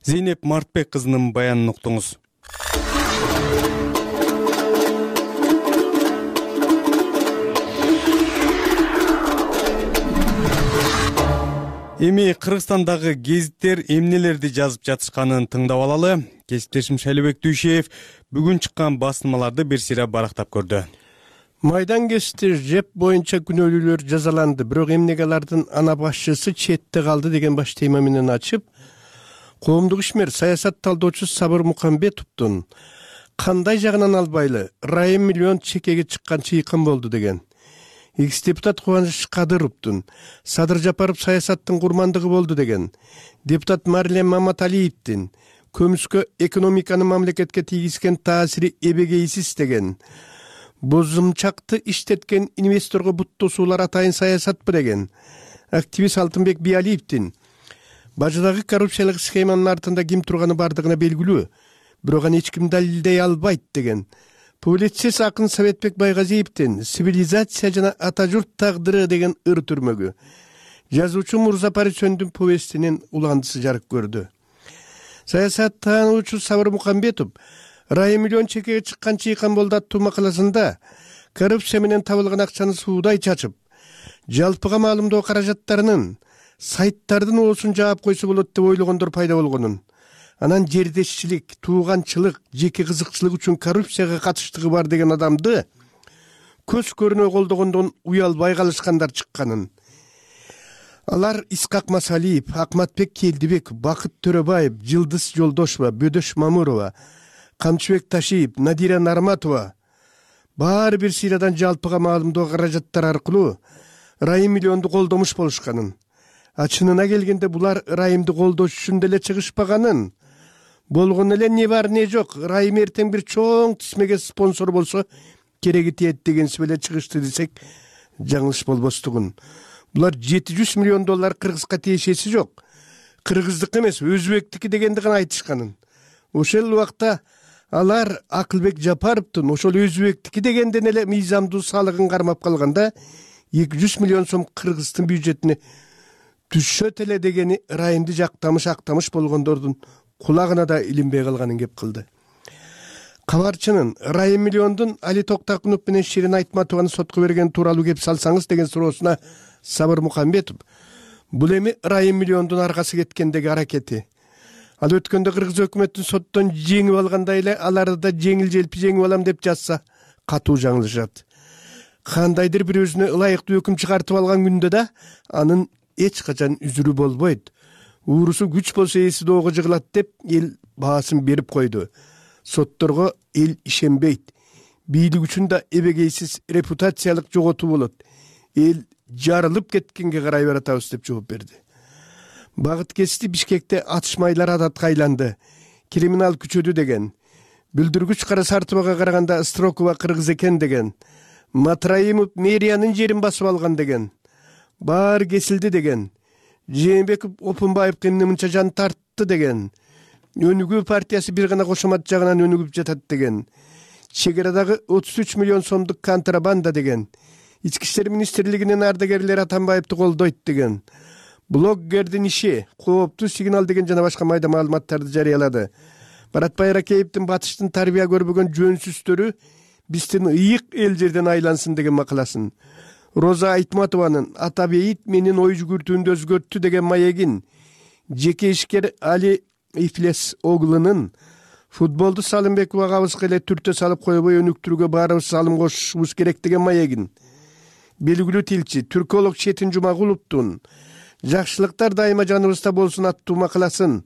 Зейнеп Мартбек кызынын баянын уктуңуз. Эми Кыргызстандагы гезиттер эмнелерди жазып жатышканын тыңдап алалы. Кесиптешим Шайлебек Дүйшеев бүгүн чыккан басылмаларды бир сыйра барактап көрдү. Майдан кести жеп боюнча күнөөлүүлөр жазаланды, бирок эмнеге алардын ана башчысы четте калды деген баш тема менен ачып, коомдук ишмер саясат талдоочу Сабыр Мукамбетовдун кандай жагынан албайлы Райым миллион чекеге чыккан чыйкым болду деген, экс-депутат Кубаныч Кадыровдун Садыр Жапаров саясаттын курмандыгы болду деген, депутат Марлем Маматалиевдин көмүскө экономиканы мамлекетке тийгизген таасири эбегейсиз деген, бозумчакты иштеткен инвесторго буттосуулар атайын саясатпы деген, активист Алтынбек Биалиевдин бажыдагы коррупциялык схеманын артында ким турганы бардыгына белгилүү, бирок аны эч ким далилдей албайт деген, публицист акын Советбек Байгазиевдин цивилизация жана ата журт тагдыры деген ыр түрмөгү, жазуучу Мурза Парисөндүн повестинин уландысы жарык көрдү. Саясаттануучу Сабыр Мукамбетов Райым миллион чекеге чыккан чыйкан болду аттуу макаласында коррупция менен табылган акчаны суудай чачып, жалпыга маалымдоо каражаттарынын сайттардын оосун жаап койсо болот деп ойлогондор пайда болгонун, анан жердешчилик, тууганчылык, жеке кызыкчылык үчүн коррупцияга катыштыгы бар деген адамды көз көрүнө колдогондон уялбай калышкандар чыкканын. Алар Исқак Масалиев, Акматбек Келдибек, Бакыт Төрөбаев, Жылдыз Жолдошова, Бөдөш Мамурова, Камчыбек Ташиев, Надира Нарматова баары бир сыйрадан жалпыга маалымдоо каражаттар аркылуу Райым миллионду колдомуш болушканын, чынына келгенде булар Райымды колдош үчүн деле чыгышпаганын, болгон эле не бар не жок, Райым эртең бир чоң тизмеге спонсор болсо кереги тиет дегенси беле чыгышты десек жаңылыш болбостугун. Булар 700 миллион доллар кыргызга тиешеси жок, кыргыздык эмес, өзбектики дегенди гана айтышканын. Ошол убакта алар Акылбек Жапаровдун ошол өзбектики дегенден эле мыйзамдуу салыгын кармап калганда 200 миллион сом кыргыздын бюджетине түшөт эле дегени Райымды актамыш болгондордун кулагына да илинбей калганын кеп кылды. Кабарчынын Райым миллиондун Али Токтакунов менен Ширин Айтматованы сотко берген тууралуу кеп салсаңыз деген суроосуна Сабыр Мукамбетов бул эми Райым миллиондун аркасы кеткендеги аракети. Ал өткөндө кыргыз өкмөтүн соттон жеңип алгандай эле аларды да жеңил желпи жеңип алам деп жатса катуу жаңылышат. Кандайдыр бир өзүнө ылайыктуу өкүм чыгартып алган күндө да анын эч качан үзүрү болбойт. уурусу күч болсо ээси доого жыгылат деп эл баасын берип койду. Сотторго эл ишенбейт. Бийлик үчүн да эбегейсиз репутациялык жоготуу болот. Эл жарылып кеткенге карай баратабыз деп жооп берди. Багыт кести Бишкекте атышмайлар адатка айланды. Криминал күчөдү деген. Бүлдүргүч Кара Сартыбага караганда Строкова кыргыз экен деген. Матраимов мэриянын жерин басып алган деген. Баары кесилди деген. Жээнбеков Опунбаевге эмне мынча жан тартты деген. Өнүгүү партиясы бир гана кошомат жагынан өнүгүп жатат деген. Чегарадагы 33 миллион сомдук контрабанда деген. Ички иштер министрлигинин ардагерлери Атамбаевди колдойт деген. Блоггердин иши кооптуу сигнал деген жана башка майда маалыматтарды жарыялады. Баратбай Ракеевдин батыштын тарбия көрбөгөн жөнсүздөрү биздин ыйык эл жерден айлансын деген макаласын. Роза Айтматованын ата бейит менин ой жүгүртүүмдү өзгөрттү деген маегин, жеке ишкер Али Ифлес оглунун футболду Салымбеков агабызга эле түртө салып койбой өнүктүрүүгө баарыбыз салым кошушубуз керек деген маегин, белгилүү тилчи түрколог Четин Жумагуловдун жакшылыктар дайыма жаныбызда болсун аттуу макаласын,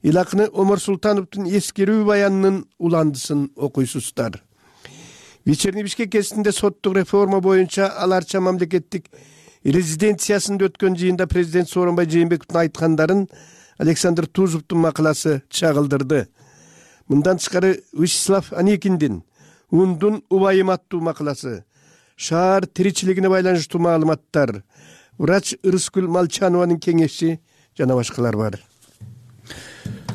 Илакны Омар Султановдун эскерүү баянынын уландысын окуйсуздар. Вечерний Бишкек кезинде соттук реформа боюнча аларча мамлекеттик резиденциясында өткөн жыйында президент Сооронбай Жээнбековдун айткандарын Александр Тузовдун макаласы чагылдырды. Мындан тышкары Вячеслав Аникиндин Ундун убайым аттуу макаласы, шаар тиричилигине байланыштуу маалыматтар, врач Ырыскүл Малчанованын кеңеши жана башкалар бар.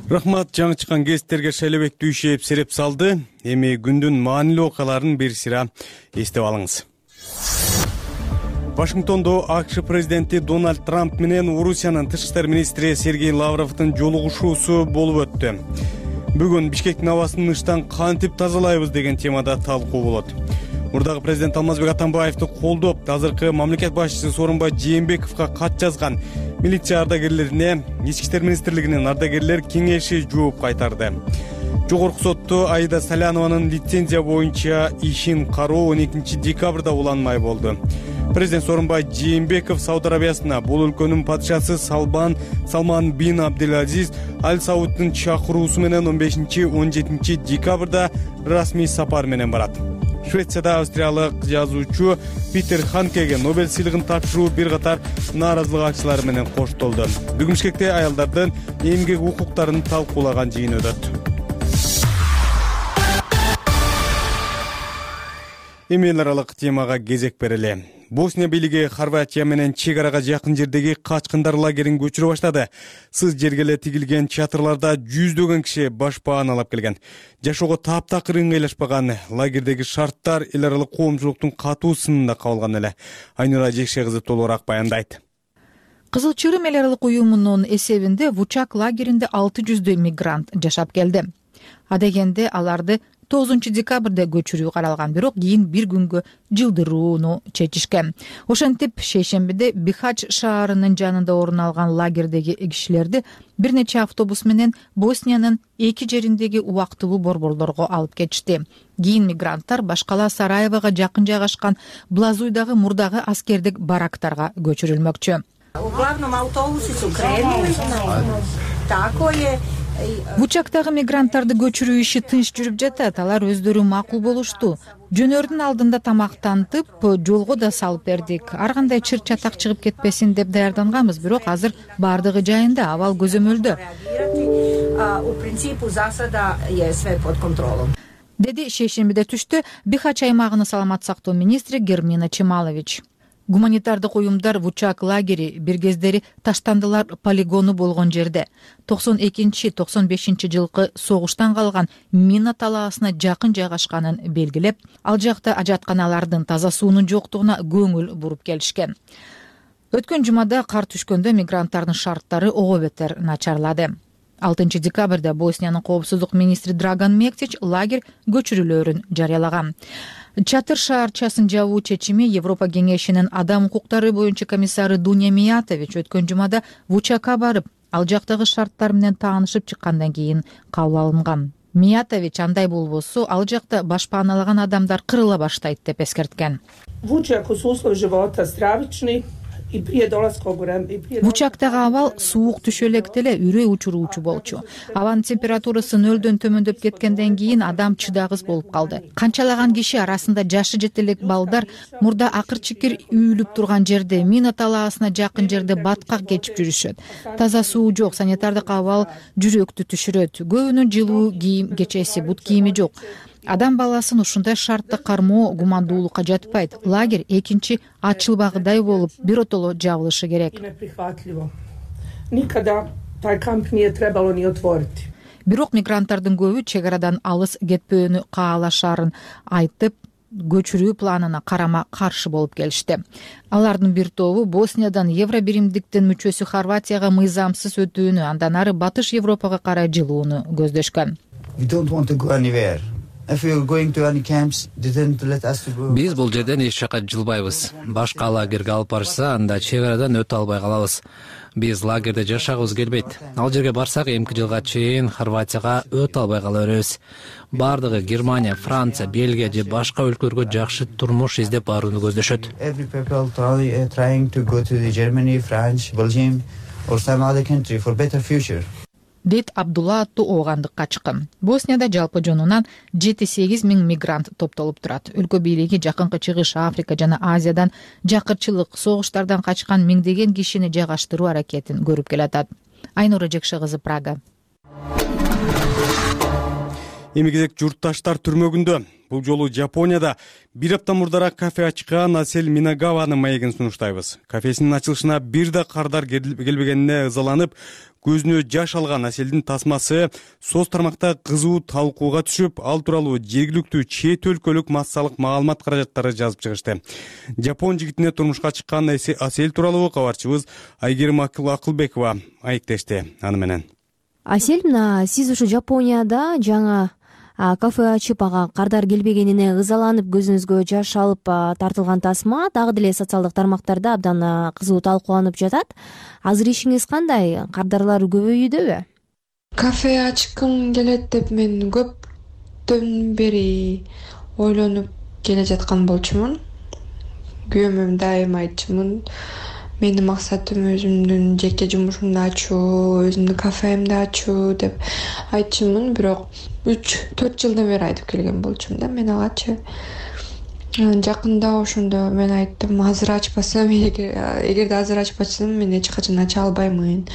Рахмат, жаңы чыккан кестерге Шайлебек Дүйшеев сереп салды. Эми күндүн маанилүү окуяларын бир сыра эстеп алыңыз. Вашингтондо АКШ президенти Дональд Трамп менен Орусиянын тышкы иштер министри Сергей Лавровдун жолугушуусу болуп өттү. Бүгүн Бишкектин абасын ыштан кантип тазалайбыз деген темада талкуу болот. Мурдагы президент Алмазбек Атамбаевди колдоп, азыркы мамлекет башчысы Сооронбай Жээнбековго кат жазган милиция ардагерлерине Ички иштер министрлигинин ардагерлер кеңеши жооп кайтарды. Жогорку сотто Аида Салянованын лицензия боюнча ишин кароо 12 декабрда уланмай болду. Президент Сооронбай Жээнбеков Сауд Арабиясына бул өлкөнүн падышасы Салман бин Абдулазиз Аль Сауддун чакыруусу менен 15-17 декабрда расмий сапар менен барат. Швецияда австриялык жазуучу Питер Ханкеге Нобель сыйлыгын тапшыруу бир катар нааразылык акчылары менен коштолду. Бүгүн Бишкекте аялдардын эмгек укуктарын талкуулаган жыйын өтөт. Эми эл аралык темага кезек берели. Босния бийлиги Хорватия менен чек арага жакын жердеги качкындар лагерин көчүрө баштады. Сыз жерге эле тигилген чатырларда жүздөгөн киши баш бааналап келген. Жашоого таптакыр ыңгайлашпаган лагердеги шарттар эл аралык коомчулуктун катуу сынында кабылган эле. Айнура Жекше кызы толугураак баяндайт. Кызыл Чырым эл аралык уюмунун эсебинде Вучак лагеринде 600 мигрант жашап келди. Адегенде аларды 9 декабрда көчүрүү каралган, бирок кийин бир күнгө жылдырууну чечишкен. Ошентип шейшембиде Бихач шаарынын жанында орун алган лагердеги кишилерди бир нече автобус менен Босниянын эки жериндеги убактылуу борборлорго алып кетишти. Кийин мигранттар башкала Сараевого жакын жайгашкан Блазуйдагы мурдагы аскердик барактарга көчүрүлмөкчү. Вучактагы мигранттарды көчүрүү иши тынч жүрүп жатат. Алар өздөрү макул болушту. Жөнөрдүн алдында тамактантып, жолго да салып бердик. Ар кандай чыр чатак чыгып кетпесин деп даярданганбыз, бирок азыр бардыгы жайында, абал көзөмөлдө. Деди шейшембиде түштө Бихач аймагынын саламат сактоо министри Гермина Чемалович. Гуманитардык уюмдар Вучак лагери бир кездери таштандылар полигону болгон жерде 92-95 жылкы согуштан калган мина талаасына жакын жайгашканын белгилеп, ал жакта ажатканалардын таза суунун жоктугуна көңүл буруп келишкен. Өткөн жумада кар түшкөндө мигранттардын шарттары ого бетер начарлады. 6 декабрда Босниянын коопсуздук министри Драган Мектич лагерь көчүрүүлөрүн жарыялаган. Чатыр шаарчасын жабуу чечими Европа кеңешинин адам укуктары боюнча комиссары Дуня Миятович өткөн жумада Вучакка барып, ал жактагы шарттар менен таанышып чыккандан кийин кабыл алынган. Миятович андай болбосо ал жакта баш бааналаган адамдар кырыла баштайт деп эскерткен. Вучак условия живота стравични. Бучактагы абал суук түшө электе эле үрөй учуруучу болчу. Абанын температурасы 0 төмөндөп кеткенден кийин адам чыдагыс болуп калды. Канчалаган киши арасында жашы жете элек балдар мурда акыр чикир үйүлүп турган жерде, мина талаасына жакын жерде баткак кечип жүрүшөт. Таза суу жок, санитардык абал жүрөктү түшүрөт. Көбүнүн жылуу кийим, кечеси, бут кийими жок. Адам баласын ушундай шартта кармоо гумандуулукка жатпайт. Лагерь экинчи ачылбагыдай болуп, биротоло жабылышы керек. Бирок мигранттардын көбү чек арадан алыс кетпөөнү каалашаарын айтып, көчүрүү планына карама каршы болуп келишти. Алардын бир тобу Босниядан Евробиримдиктин мүчөсү Хорватияга мыйзамсыз өтүүнү, андан ары Батыш Европага карай жылууну көздөшкөн. Биз бул жерден эч жака жылбайбыз. Башка лагерге алып барышса, анда чек арадан өтө албай калабыз. Биз лагерде жашагыбыз келбейт. Ал жерге барсак, эмки жылга чейин Хорватияга өтө албай кала беребиз. Бардыгы Германия, Франция, Бельгия же башка өлкөлөргө жакшы турмуш издеп барууну көздөшөт. Дейт Абдулла аттуу оогандык качкын. Боснияда жалпы жонунан 7-8 миң мигрант топтолуп турат. Өлкө бийлиги Жакынкы Чыгыш, Африка жана Азиядан жакырчылык, согуштардан качкан миңдеген кишини жайгаштыруу аракетин көрүп келатат. Айнура Жекше кызы, Прага. Эми кезек журтташтар түрмөгүндө. Бул жолу Жапонияда бир апта мурдараак кафе ачкан Асель Минагаванын маегин сунуштайбыз. Кафесинин ачылышына бир да кардар келбегенине ызаланып, көзүнө жаш алган Аселдин тасмасы соц тармакта кызуу талкууга түшүп, ал тууралуу жергиликтүү чет өлкөлүк массалык маалымат каражаттары жазып чыгышты. Жапон жигитине турмушка чыккан Асель тууралуу кабарчыбыз Айгерим Акылбекова айыктешти аны менен. Асель, сиз ушу Жапонияда жаңа кафе ачып, ага кардар келбегенине ызаланып, көзүңүзгө жаш алып тартылган тасма дагы деле социалдык тармактарда абдан кызуу талкууланып жатат. Азыр ишиңиз кандай? Кардарлар көбөйүүдөбү? Кафе ачкым келет деп мен көптөн бери ойлонуп келе жаткан болчумун. Күйөөмө дайыма айтчумун. Менин максатым өзүмдүн жеке жумушумду ачуу, өзүмдүн кафемди ачуу деп айтчумун, бирок 3-4 жылдан бери айтып келген болчумун да мен агачы. Жакында ошондо мен айттым, азыр ачпасам, эгерде азыр ачпасам, мен эч качан ача албаймын.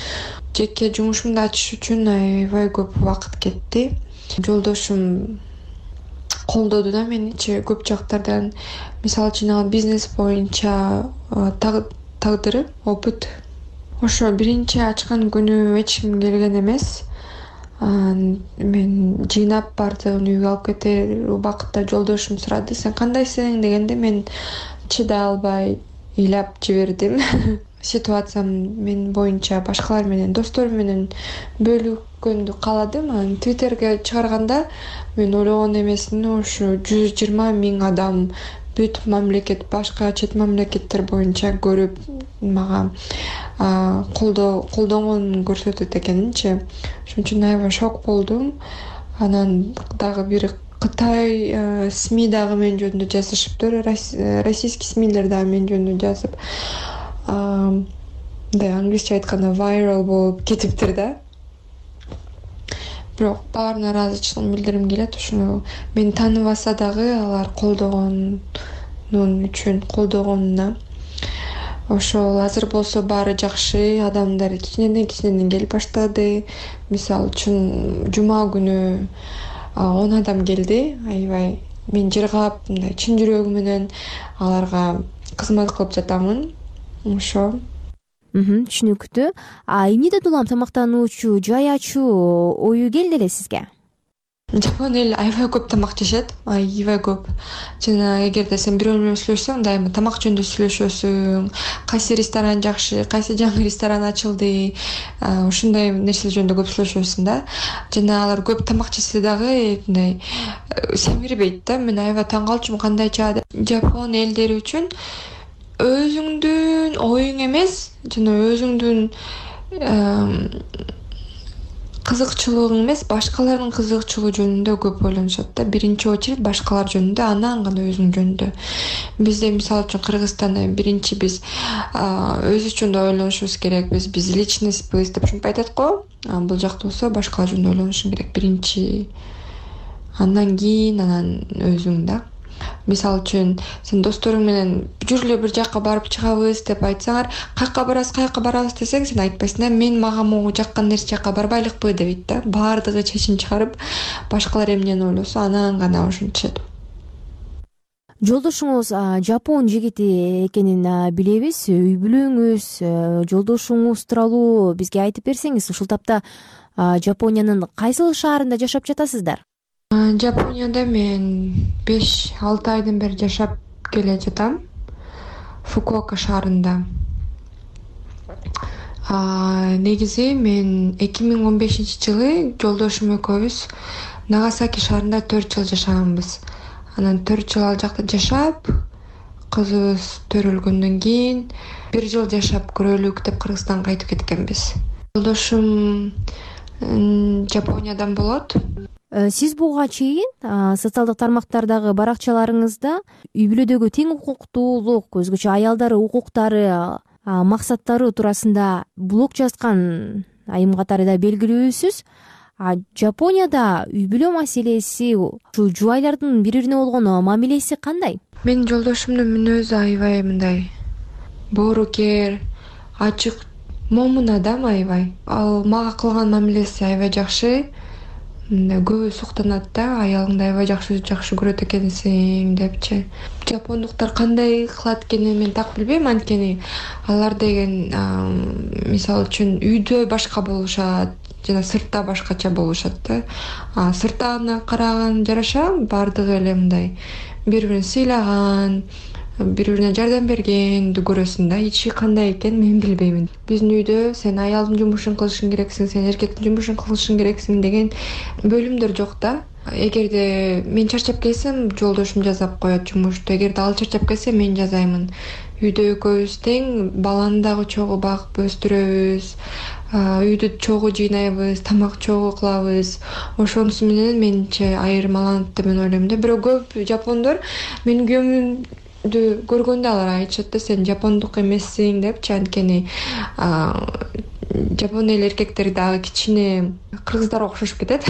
Жеке жумушумду ачыш үчүн аябай көп убакыт кетти. Жолдошум колдоду да мени көп жактардан. Мисалы үчүн бизнес боюнча тагдыры, опыт. Ошо биринчи ачкан күнү эч ким келген эмес. Мен жыйнап бардыгын үйгө алып кетер убакытта жолдошум сурады, сен кандайсың дегенде мен чыдай албай ыйлап жибердим. Ситуациям мен боюнча башкалар менен, досторум менен бөлүшкөндү кааладым. Анан Twitterге чыгарганда мен ойлогон эмесин ушу 120 миң адам бүт мамлекет, башка чет мамлекеттер боюнча көрүп мага колдонгонун көрсөтөт экенинчи. Ошон үчүн аябай шок болдум. Анан дагы бир Кытай СМИ дагы мен жөнүндө жазышыптыр, российский СМИлер дагы мен жөнүндө жазып, англисче айтканда viral болуп кетиптир да. Бирок баарына ыраазычылыгымды билдиргим келет. Ошону мени тааныбаса дагы алар колдогонуна. Ошол азыр болсо баары жакшы, адамдар кичинеден келип баштады. Мисалы үчүн жума күнү 10 адам келди. Аябай мен жыргап, мындай чын жүрөгүм менен аларга кызмат кылып жатамын. Ошо. Түшүнүктүү. Эмнеден улам тамактануучу жай ачуу ою келди эле сизге? Жапон эл аябай көп тамак жешет, аябай көп. Жана эгерде сен бирөө менен сүйлөшсөң, дайыма тамак жөнүндө сүйлөшөсүң. Кайсы ресторан жакшы, кайсы жаңы ресторан ачылды, ушундай нерселер жөнүндө көп сүйлөшөсүң да. Жана алар көп тамак жесе дагы мындай семирбейт да. Мен аябай таң калчумун, кандайча Жапон элдери үчүн өзүңдүн оюң эмес, жана өзүңдүн кызыкчылыгың эмес, башкалардын кызыкчылыгы жөнүндө көп ойлонушат да. Биринчи очередь башкалар жөнүндө, анан гана өзүң жөнүндө. Бизде мисалы үчүн Кыргызстанда биринчи биз өз үчүн да ойлонушубуз керек. Биз личностьбыз деп ушинтип айтат го. Бул жакта болсо башкалар жөнүндө ойлонушуң керек биринчи. Андан кийин өзүң да. Мисалы үчүн сен досторуң менен жүрүлө бир жакка барып чыгабыз деп айтсаңар, каяка барабыз десең, сен айтпайсың да, мен мага могу жаккан нерсе жакка барбайлыкпы дейт да. Баардыгы чечим чыгарып, башкалар эмнени ойлосо, анан гана ушинтишет. Жолдошуңуз жапон жигити экенин билебиз. Үй бүлөңүз, жолдошуңуз тууралуу бизге айтып берсеңиз, ушул тапта Жапониянын кайсыл шаарында жашап жатасыздар? Жапонияда мен 5-6 айдан бери жашап келе жатам. Фукуока шаарында. Негизи мен 2015-жылы жолдошум экөөбүз Нагасаки шаарында 4 жыл жашаганбыз. Анан 4 жыл ал жакта жашап, кызыбыз төрөлгөндөн кийин 1 жыл жашап көрөлүк деп Кыргызстанга кайтып кеткенбиз. Жолдошум Жапониядан болот. Сиз буга чейин социалдык тармактардагы баракчаларыңызда үй бүлөдөгү тең укуктуулук, өзгөчө аялдар укуктары, максаттары туурасында блог жазган айым катары да белгилүүсүз. Жапонияда үй бүлө маселеси, ушу жубайлардын бири-бирине болгон мамилеси кандай? Менин жолдошумдун мүнөзү аябай мындай боорукер, ачык, момун адам аябай. Ал мага кылган мамилеси аябай жакшы. Көбү суктанат да, аялыңды аябай жакшы көрөт экенсиң депчи. Жапондуктар кандай кылат экенин мен так билбейм, анткени алар деген мисалы үчүн үйдө башка болушат, жана сыртта башкача болушат да. Сырттан караган жараша баардыгы эле мындай бири-бирин сыйлаган, бири-бирине жардам бергенди көрөсүң да. Ичи кандай экен мен билбеймин. Биздин үйдө сен аялдын жумушун кылышың керексиң, сен эркектин жумушун кылышың керексиң деген бөлүмдөр жок да. Эгерде мен чарчап келсем, жолдошум жасап коет жумушту. Эгерде ал чарчап келсе, мен жазаймын. Үйдө экөөбүз тең, баланы дагы чогуу багып өстүрөбүз. Үйдү чогуу жыйнайбыз, тамак чогуу кылабыз. Ошонусу менен менче айырмаланат деп мен ойлойм да. Бирок көп жапондор менин күйөөмдү көргөндө алар айтышат да, сен жапондук эмессиң депчи, анткени жапон эл эркектери дагы кичине кыргыздарга окшошуп кетет.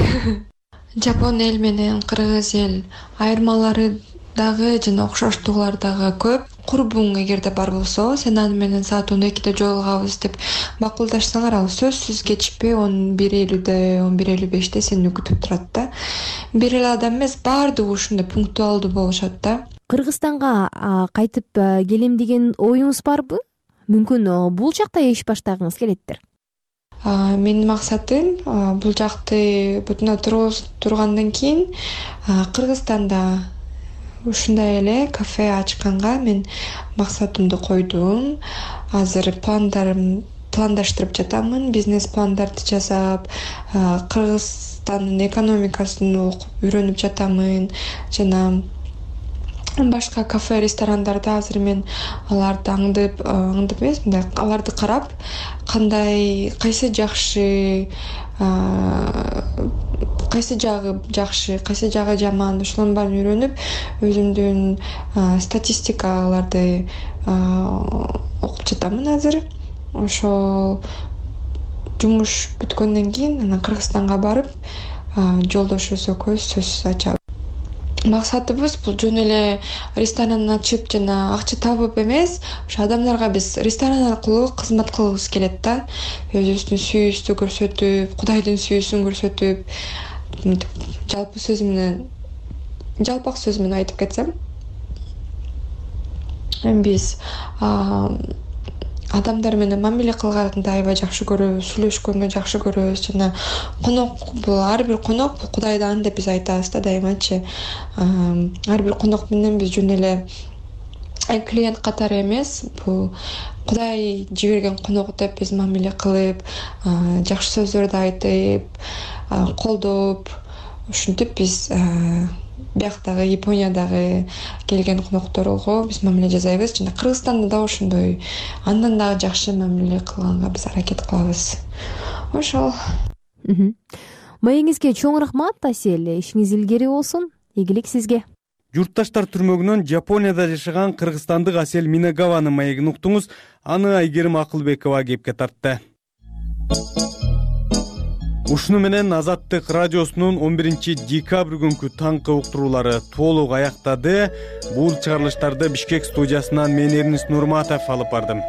Жапон эл менен кыргыз эл айырмалары дагы жана окшоштугулар дагы көп. Курбуң эгерде бар болсо, сен аны менен саат 12-де жолугабыз деп макулдашсаңар, ал сөзсүз кечпей 11:50-де, 11:55-де сени күтүп турат да. Бир эле адам эмес, баардыгы ушундай пунктуалдуу болушат да. Кыргызстанга кайтып келем деген оюңуз барбы? Мүмкүн бул жакта иш баштагыңыз келеттир. Менин максатым бул жакты бүтүнө тургандан кийин Кыргызстанда ушундай эле кафе ачканга мен максатымды койдум. Азыр пландаштырып жатамын, бизнес пландарды жасап, Кыргызстандын экономикасын окуп үйрөнүп жатамын, жана башка кафе, ресторандарда азыр мен аларды аңдып эмес, мындай аларды карап, кайсы жакшы, кайсы жагы жакшы, кайсы жагы жаман, ошолордун баарын үйрөнүп, өзүмдүн статистикаларды окуп жатамын азыр. Ошол жумуш бүткөндөн кийин анан Кыргызстанга барып, жолдошубуз экөөбүз сөзсүз ачабыз. Максатыбыз бул жөн эле ресторан ачып жана акча табып эмес, ошо адамдарга биз ресторан аркылуу кызмат кылгыбыз келет да. Өзүбүздүн сүйүүбүздү көрсөтүп, Кудайдын сүйүүсүн көрсөтүп, жалпак сөз менен айтып кетсем, биз адамдар менен мамиле кылганды аябай жакшы көрөбүз, сүйлөшкөндү жакшы көрөбүз, жана конок бул ар бир конок бул Кудайдан деп биз айтабыз да дайымачы. Ар бир конок менен биз жөн эле клиент катары эмес, бул Кудай жиберген конок деп биз мамиле кылып, жакшы сөздөрдү айтып, колдоп, ушинтип биз бияктагы Япониядагы келген конокторго биз мамиле жасайбыз, жана Кыргызстанда да ошондой андан дагы жакшы мамиле кылганга биз аракет кылабыз. Ошол. маегиңизге чоң рахмат Асель, ишиңиз илгери болсун, ийгилик сизге. Журтташтар түрмөгүнөн Жапонияда жашаган кыргызстандык Асель Минагаванын маегин уктуңуз. Аны Айгерим Акылбекова кепке тартты. Ушуну менен Азаттык радиосунун 11-декабрь күнкү таңкы уктуруулары толук аяктады. Бул чыгарылыштарды Бишкек студиясынан мен Эрнис Нурматов алып бардым.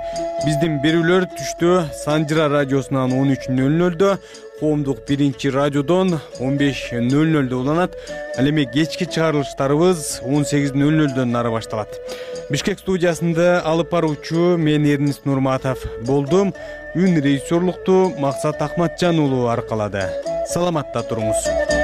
Биздин берүүлөр түштө Санжыра радиосунан 13:00, Коомдук 1-радиодон 15:00 уланат. Ал эми кечки чыгарылыштарыбыз 18:00 нары башталат. Бишкек студиясында алып баруучу мен Эрнис Нурматов болдум. Үн режиссерлукту Максат Акматжан уулу аркалады. Саламатта туруңуз.